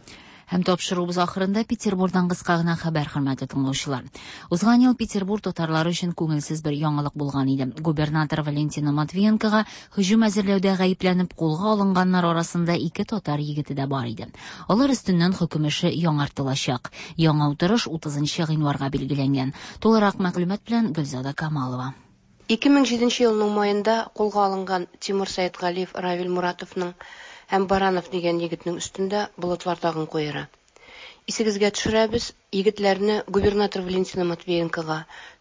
Һәм тапшыруыбыз ахырында Петербурдан кыска гына хәбәр, хөрмәтле тыңлаучылар. Узган ел Петербур татарлары өчен күңелсез бер яңалык булган иде. Губернатор Валентина Матвиенкога һөҗүм әзерләүдә гаепләнеп кулга алынганнар арасында ике татар егете дә бар иде. Алар өстеннән хөкем эше яңартылачак. Яңа утырыш 30 нчы гыйнварга билгеләнгән. Тулырак мәгълүмат белән Гөлзада Камалова.
2007 елның маенда кулга алынган Тимур Сәетгалиев Равил Муратовның һәм Баранов дигән егетнең өстендә болытлар тагын куера. Исегезгә төшерәбез, егетләрне губернатор Валентина Матвиенкога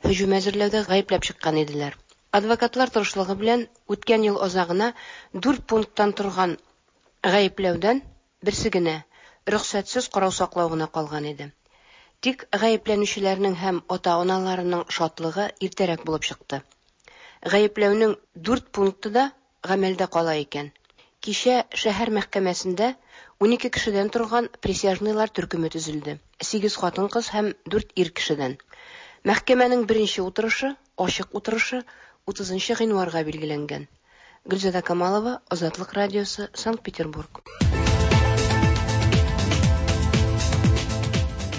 һөҗүм әзерләүдә гаепләп чыккан иделәр. Адвокатлар тырышлыгы белән үткән ел азагына дүрт пункттан торган гаепләүдән берсе генә, рөхсәтсез корал саклау гына калган иде. Тик гаепләнүчеләрнең һәм ата-аналарының шатлыгы иртәрәк булып чыкты. Гаепләүнең дүрт пункты да гамәлдә кала икән. Кичә шәһәр мәхкәмәсендә 12 кешедән торган присяжныйлар төркеме төзелде, сигез хатын-кыз һәм дүрт ир кешедән. Мәхкәмәнең беренче утырышы, ачык утырышы, 30 гыйнварга билгеләнгән. Гөлзада Камалова, Азатлык радиосы, Санкт-Петербург.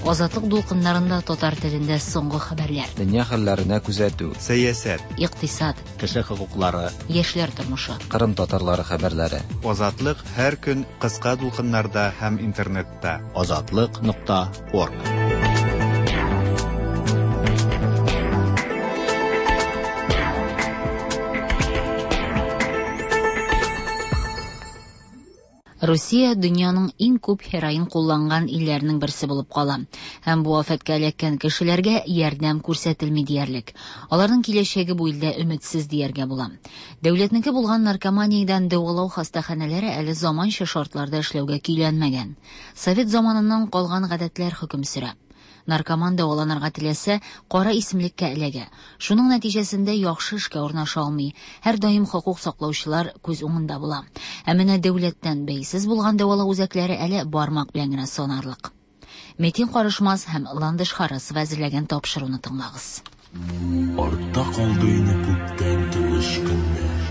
Азатлык дулкыннарында татар телендә соңгы хәбәрләр.
Дөнья хәлләренә күзәтү.
Сәясәт.
Икътисад.
Кеше хокуклары.
Яшьләр тормышы.
Кырым татарлары хәбәрләре.
Азатлык һәр көн кыска дулкыннарда һәм интернетта. Азатлык.орг.
Русия дөньяның иң күп һероин кулланган илләренең берсе булып кала. Һәм бу афәткә эләккән кешеләргә ярдәм күрсәтелми диярлек. Аларның киләчәге бу илдә өметсез дияргә була. Дәүләтнеке булган наркоманиядән дәвалау хастаханәләре әле заманча шартларда эшләүгә көйләнмәгән. Совет заманыннан калган гадәтләр хөкем сөрә. Наркоман дәваланырга теләсә, кара исемлеккә эләгә. Шуның нәтиҗәсендә яхшы эшкә урнаша алмый. Һәрдаим хокук саклаучылар күз уңында була. Ә менә дәүләттән бәйсез булган дәвалау үзәкләре әле бармак белән генә санарлык. Метин Карышмас һәм Ландыш Харасова әзерләгән тапшыруны тыңлагыз.
Артта калды инде күптән тыныч көннәр.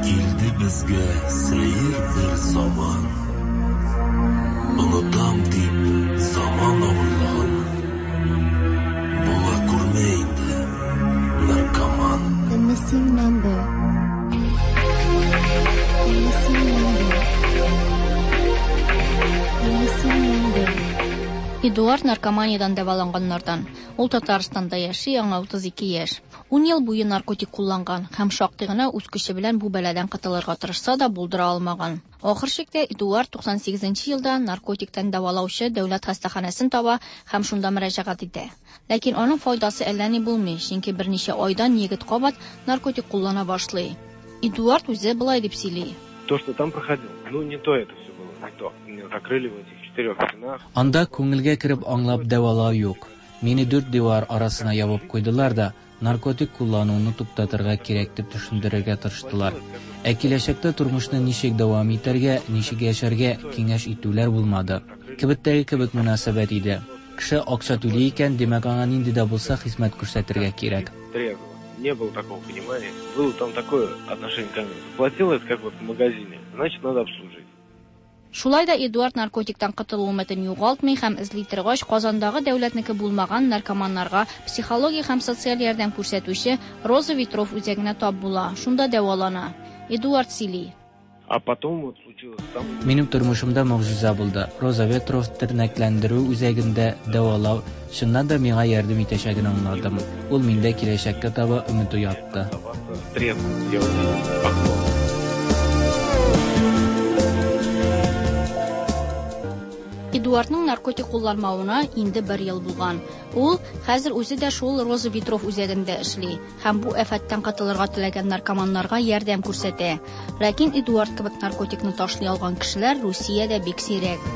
Килде безгә сәер бер заман. Онытам дип заман авырлыгын. Була күрмә инде, наркоман.
The missing number. The missing number. The missing number.
Эдуард наркоманиядән дәваланганнардан. Ул Татарстанда яши, аңа 32 яшь. 10 ел буе наркотик кулланган һәм шактый гына үз көче белән бу бәладән котылырга тырышса да булдыра алмаган. Ахыр чиктә Эдуард 98 елда наркотиктан дәвалаучы дәүләт хастаханәсен таба һәм шунда мөрәҗәгать итә. Ләкин аның файдасы әллә ни булмый, чөнки берничә айдан егет кабат наркотик куллана башлый. Эдуард үзе болай дип сөйли.
То, что там проходил, ну не то это все было, не то. Меня закрыли в этих четырех стенах.
Анда күңелгә кереп аңлап дәвалау юк. Мине дүрт дивар арасына ябып куйдылар да, наркотик куллануны туктатырга кирәк дип төшендерергә тырыштылар. Ә киләчәктә тормышны ничек дәвам итәргә, ничек яшәргә киңәш итүләр булмады. Кибеттәге кебек мөнәсәбәт иде. Кеше акча түли икән, димәк аңа нинди дә булса хезмәт күрсәтергә кирәк.
Трезво. Не было такого понимания. Было там такое отношение ко мне. Заплатил это как вот в магазине, значит надо обслужить.
Шулай да Эдуард наркотиктан котылу өметен югалтмый һәм эзли торгач Казандагы дәүләтнеке булмаган наркоманнарга психологик һәм социаль ярдәм күрсәтүче Роза Ветров үзәгенә тап була, шунда дәвалана. Эдуард сөйли.
А потом вот случилось там.
Минем тормышымда могҗиза булды. Роза Ветров тернәкләндерү үзәгендә дәвалау чыннан да миңа ярдәм итәчәген аңладым. Ул миндә киләчәккә таба өмет уятты.
Трезво делать окно.
Эдуардның наркотик кулланмавына инде бер ел булган. Ул хәзер үзе дә шул Роза Ветров үзәгендә эшли һәм бу афәттән котылырга теләгән наркоманнарга ярдәм күрсәтә. Ләкин Эдуард кебек наркотикны ташлый алган кешеләр Русиядә бик сирәк.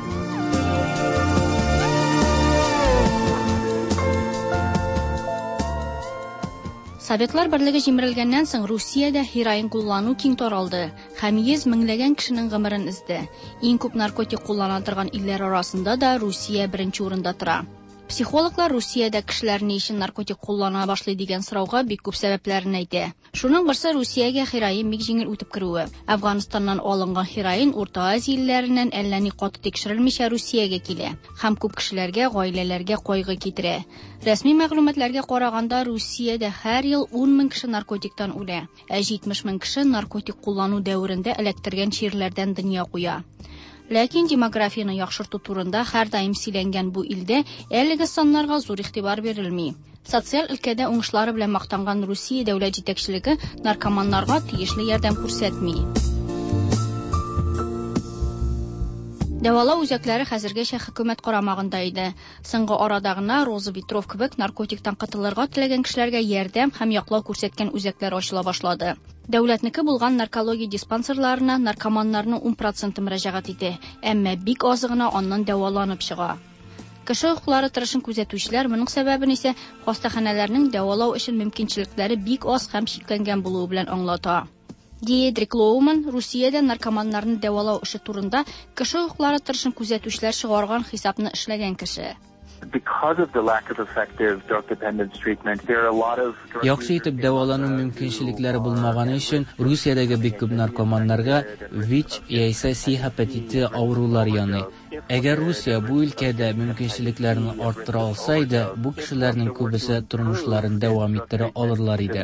Советлар берлеге җимерелгәннән соң Русиядә һероин куллану киң таралды һәм йөз меңләгән кешенең гомерен өзде. Иң күп наркотик куллана торган илләр арасында да Русия беренче урында тора. Психологлар Русиядә кешеләр ни өчен наркотик куллана башлый дигән сорауга бик күп сәбәпләрен әйтә. Шуның берсе Русиягә һероин бик җиңел үтеп керүе. Әфганстаннан алынган һероин Урта Азия илләреннән әллә ни каты тикшерелмичә Русиягә килә һәм күп кешеләргә, гаиләләргә кайгы китерә. Рәсми мәгълүматларга караганда, Русиядә һәр ел 10 мең кеше наркотиктан үлә, ә 70 мең кеше наркотик куллану дәверендә эләктергән чирләрдән дөнья куя. Ләкин демографияне яхшырту турында һәрдаим сөйләнгән бу илдә әлеге саннарга зур игътибар бирелми. Социаль өлкәдә уңышлары белән мактанган Русия дәүләт җитәкчелеге наркоманнарга тиешле ярдәм күрсәтми. Дәвалау үзәкләре хәзергәчә хөкүмәт карамагында иде. Соңгы арада гына Роза Ветров кебек наркотиктан котылырга теләгән кешеләргә ярдәм һәм яклау күрсәткән үзәкләр ачыла башлады. Дәүләтнеке булган наркология диспансерларына наркоманнарның 10% мөрәҗәгать итә, әмма бик азы гына аннан дәваланып чыга. Кеше хокуклары тырышын күзәтүчеләр моның сәбәбен исә хастаханәләрнең дәвалау өчен мөмкинчелекләре бик аз һәм чикләнгән булуы белән аңлата. Диедрик Лоуман Русиядә наркоманнарны дәвалау эше турында кеше хокуклары тырышын күзәтүчеләр чыгарган хисапны эшләгән кеше.
Яхшы итеп дәвалану мөмкинчелекләре булмаганы өчен Русиядәге бик күп наркоманнарга ВИЧ яисә С гепатиты авырулар яный. Әгәр Русия бу өлкәдә мөмкинчелекләрне арттыра алса иде, бу кешеләрнең күбесе тормышларын дәвам иттерә алырлар иде.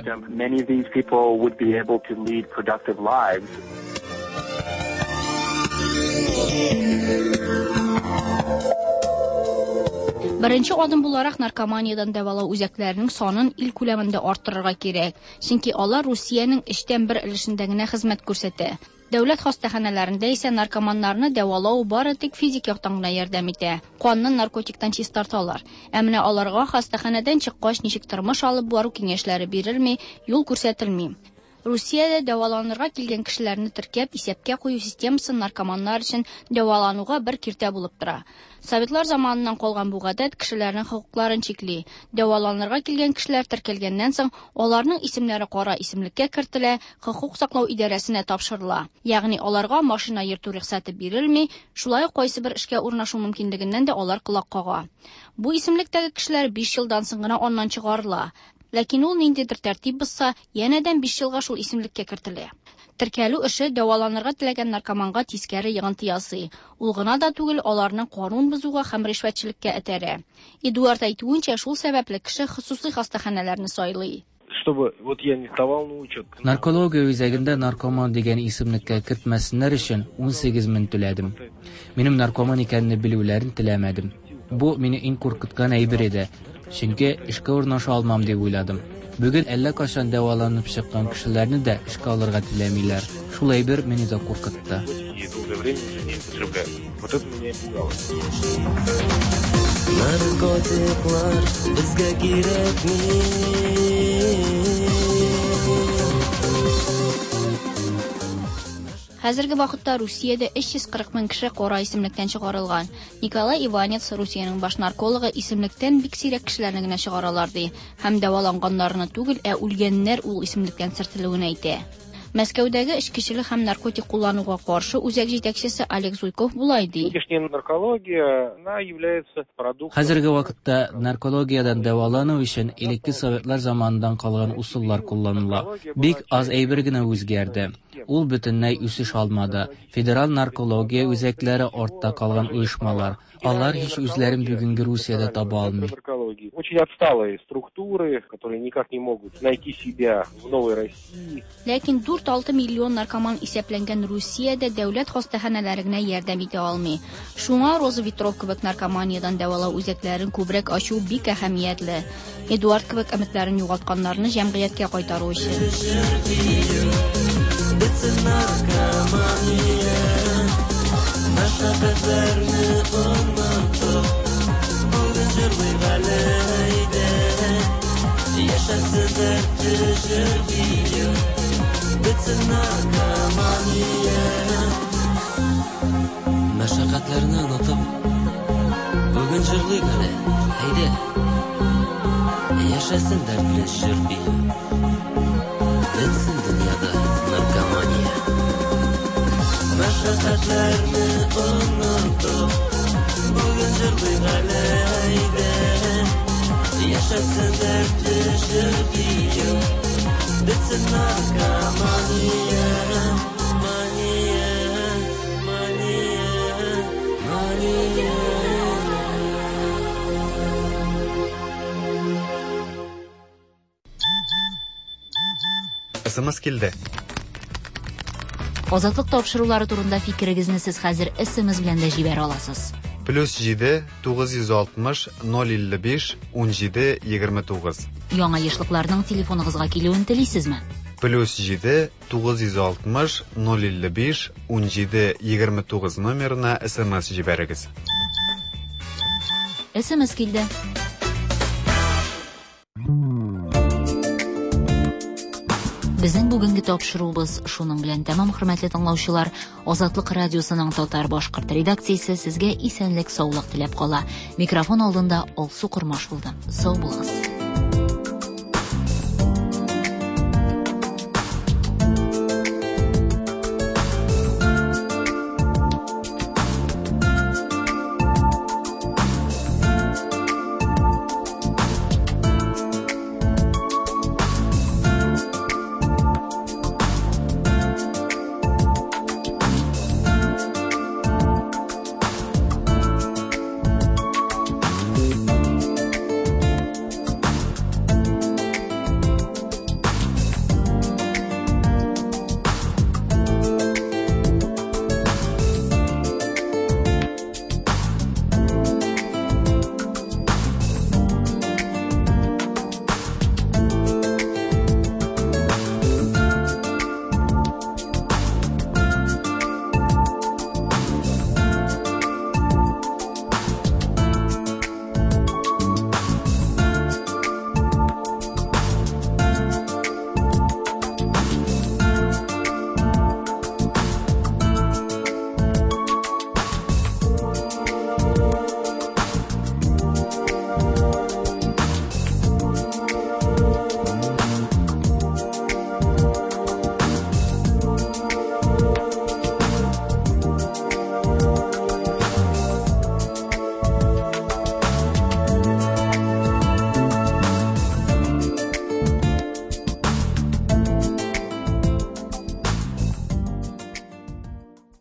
Беренче адым буларак наркоманиядән дәвалау үзәкләренең санын ил күләмендә арттырырга кирәк, чөнки алар Русиянең өчтән бер өлешендә генә хезмәт күрсәтә. Дәүләт хастаханәләрендә исә наркоманнарны дәвалау бары тик физик яктан гына ярдәм итә. Канны наркотиктан чистарталар. Ә менә аларга хастаханәдән чыккач ничек тормыш алып бару киңәшләре бирелми, юл күрсәтелми. Русиядә дәваланырга килгән кешеләрне теркәп, исәпкә кую системасы наркоманнар өчен дәвалануга бер киртә булып тора. Советлар заманыннан калган бу гадәт кешеләрнең хокукларын чикли. Дәваланырга килгән кешеләр теркәлгәннән соң, аларның исемнәре кара исемлеккә кертелә, хокук саклау идарәсенә тапшырыла. Ягъни аларга машина йөртү рөхсәте бирелми, шулай ук кайсыбер эшкә урнашу мөмкинлегеннән дә алар колак кага. Бу исемлектәге кешеләр 5 елдан соң гына аннан чыгарыла. Ләкин ул ниндидер тәртип бозса, янәдән 5 елга шул исемлеккә кертелә. Теркәлү эше дәваланырга теләгән наркоманга тискәре йогынты ясый. Ул гына да түгел, аларны канун бозуга һәм ришвәтчелеккә этәрә. Эдуард әйтүенчә, шул сәбәпле кеше хосусый хастаханәләрне сайлый.
Чтобы вот я не вставал на учет.
Наркология үзәгендә наркоман дигән исемлеккә кертмәсеннәр өчен 18 мең түләдем. Минем наркоман икәнне белүләрен теләмәдем. Бу мине иң куркыткан әйбер иде. Чөнки эшкә урнаша алмам дип уйладым. Бүген әллә кайчан дәваланып чыккан кешеләрне дә эшкә алырга теләмиләр. Шул әйбер мине дә куркытты.
И долгое время уже не употребляю. Вот это меня и пугало.
Наркотиклар безгә кирәкми.
Хәзерге вакытта Русиядә 340 мең кеше кара исемлектән чыгарылган. Николай Иванец, Русиянең баш наркологы, исемлектән бик сирәк кешеләрне генә чыгаралар ди. Һәм дәваланганнарны түгел, ә үлгәннәр ул исемлектән сөртелүен әйтә. Мәскәүдәге эчкечелек һәм наркотик куллануга каршы үзәк җитәкчесе Олег Зуйков болай ди.
Нынешняя наркология, она является продуктом...
Хәзерге вакытта наркологиядән дәвалану өчен элекке советлар заманыннан калган усуллар кулланыла. Бик аз әйбер генә үзгәрде. Ул бөтенләй үсеш алмады. Федераль наркология үзәкләре артта калган оешмалар. Алар һич үзләрен бүгенге Русиядә таба алмый.
Наркологии. Очень отсталые структуры, которые никак не могут найти себя в новой России.
Ләкин 4-6 миллион наркоман исәпләнгән Русиядә дәүләт хастаханәләре генә ярдәм итә алмый. Шуңа Роза Ветров кебек наркоманиядән дәвалау үзәкләрен күбрәк ачу бик әһәмиятле. Эдуард кебек өметләрен югалтканнарны җәмгыятькә кайтару өчен.
Бетсен наркомания, мәшәкатьләрне онытып, бүген җырлыйк әле әйдә. Яшәсен дәртле җыр бию, бетсен наркомания. Мәшәкатьләрне онытып, бүген җырлыйк әле, әйдә. Яшәсен дәртле җыр бию, бетсен дөньяда наркомания. Мәшәкатьләрне онытып, бүген җырлыйк әле, әйдә. Яшәсен дәртле җыр бию, бетсен наркомания. Мания, мания, мания.
СМС килде.
Азатлык тапшырулары турында фикерегезне сез хәзер SMS белән дә җибәрә аласыз.
Плюс 7 960 055 17 29.
Яңа ешлыкларның телефоныгызга килүен телисезме?
Плюс 7 960 055 17 29 номерына SMS җибәрегез.
SMS килде. Безнең бүгенге тапшыруыбыз шуның белән тәмам, хөрмәтле тыңлаучылар. Азатлык радиосының татар башкорт редакциясе сезгә исәнлек, саулык теләп кала. Микрофон алдында Алсу Кормаш булды. Сау булыгыз.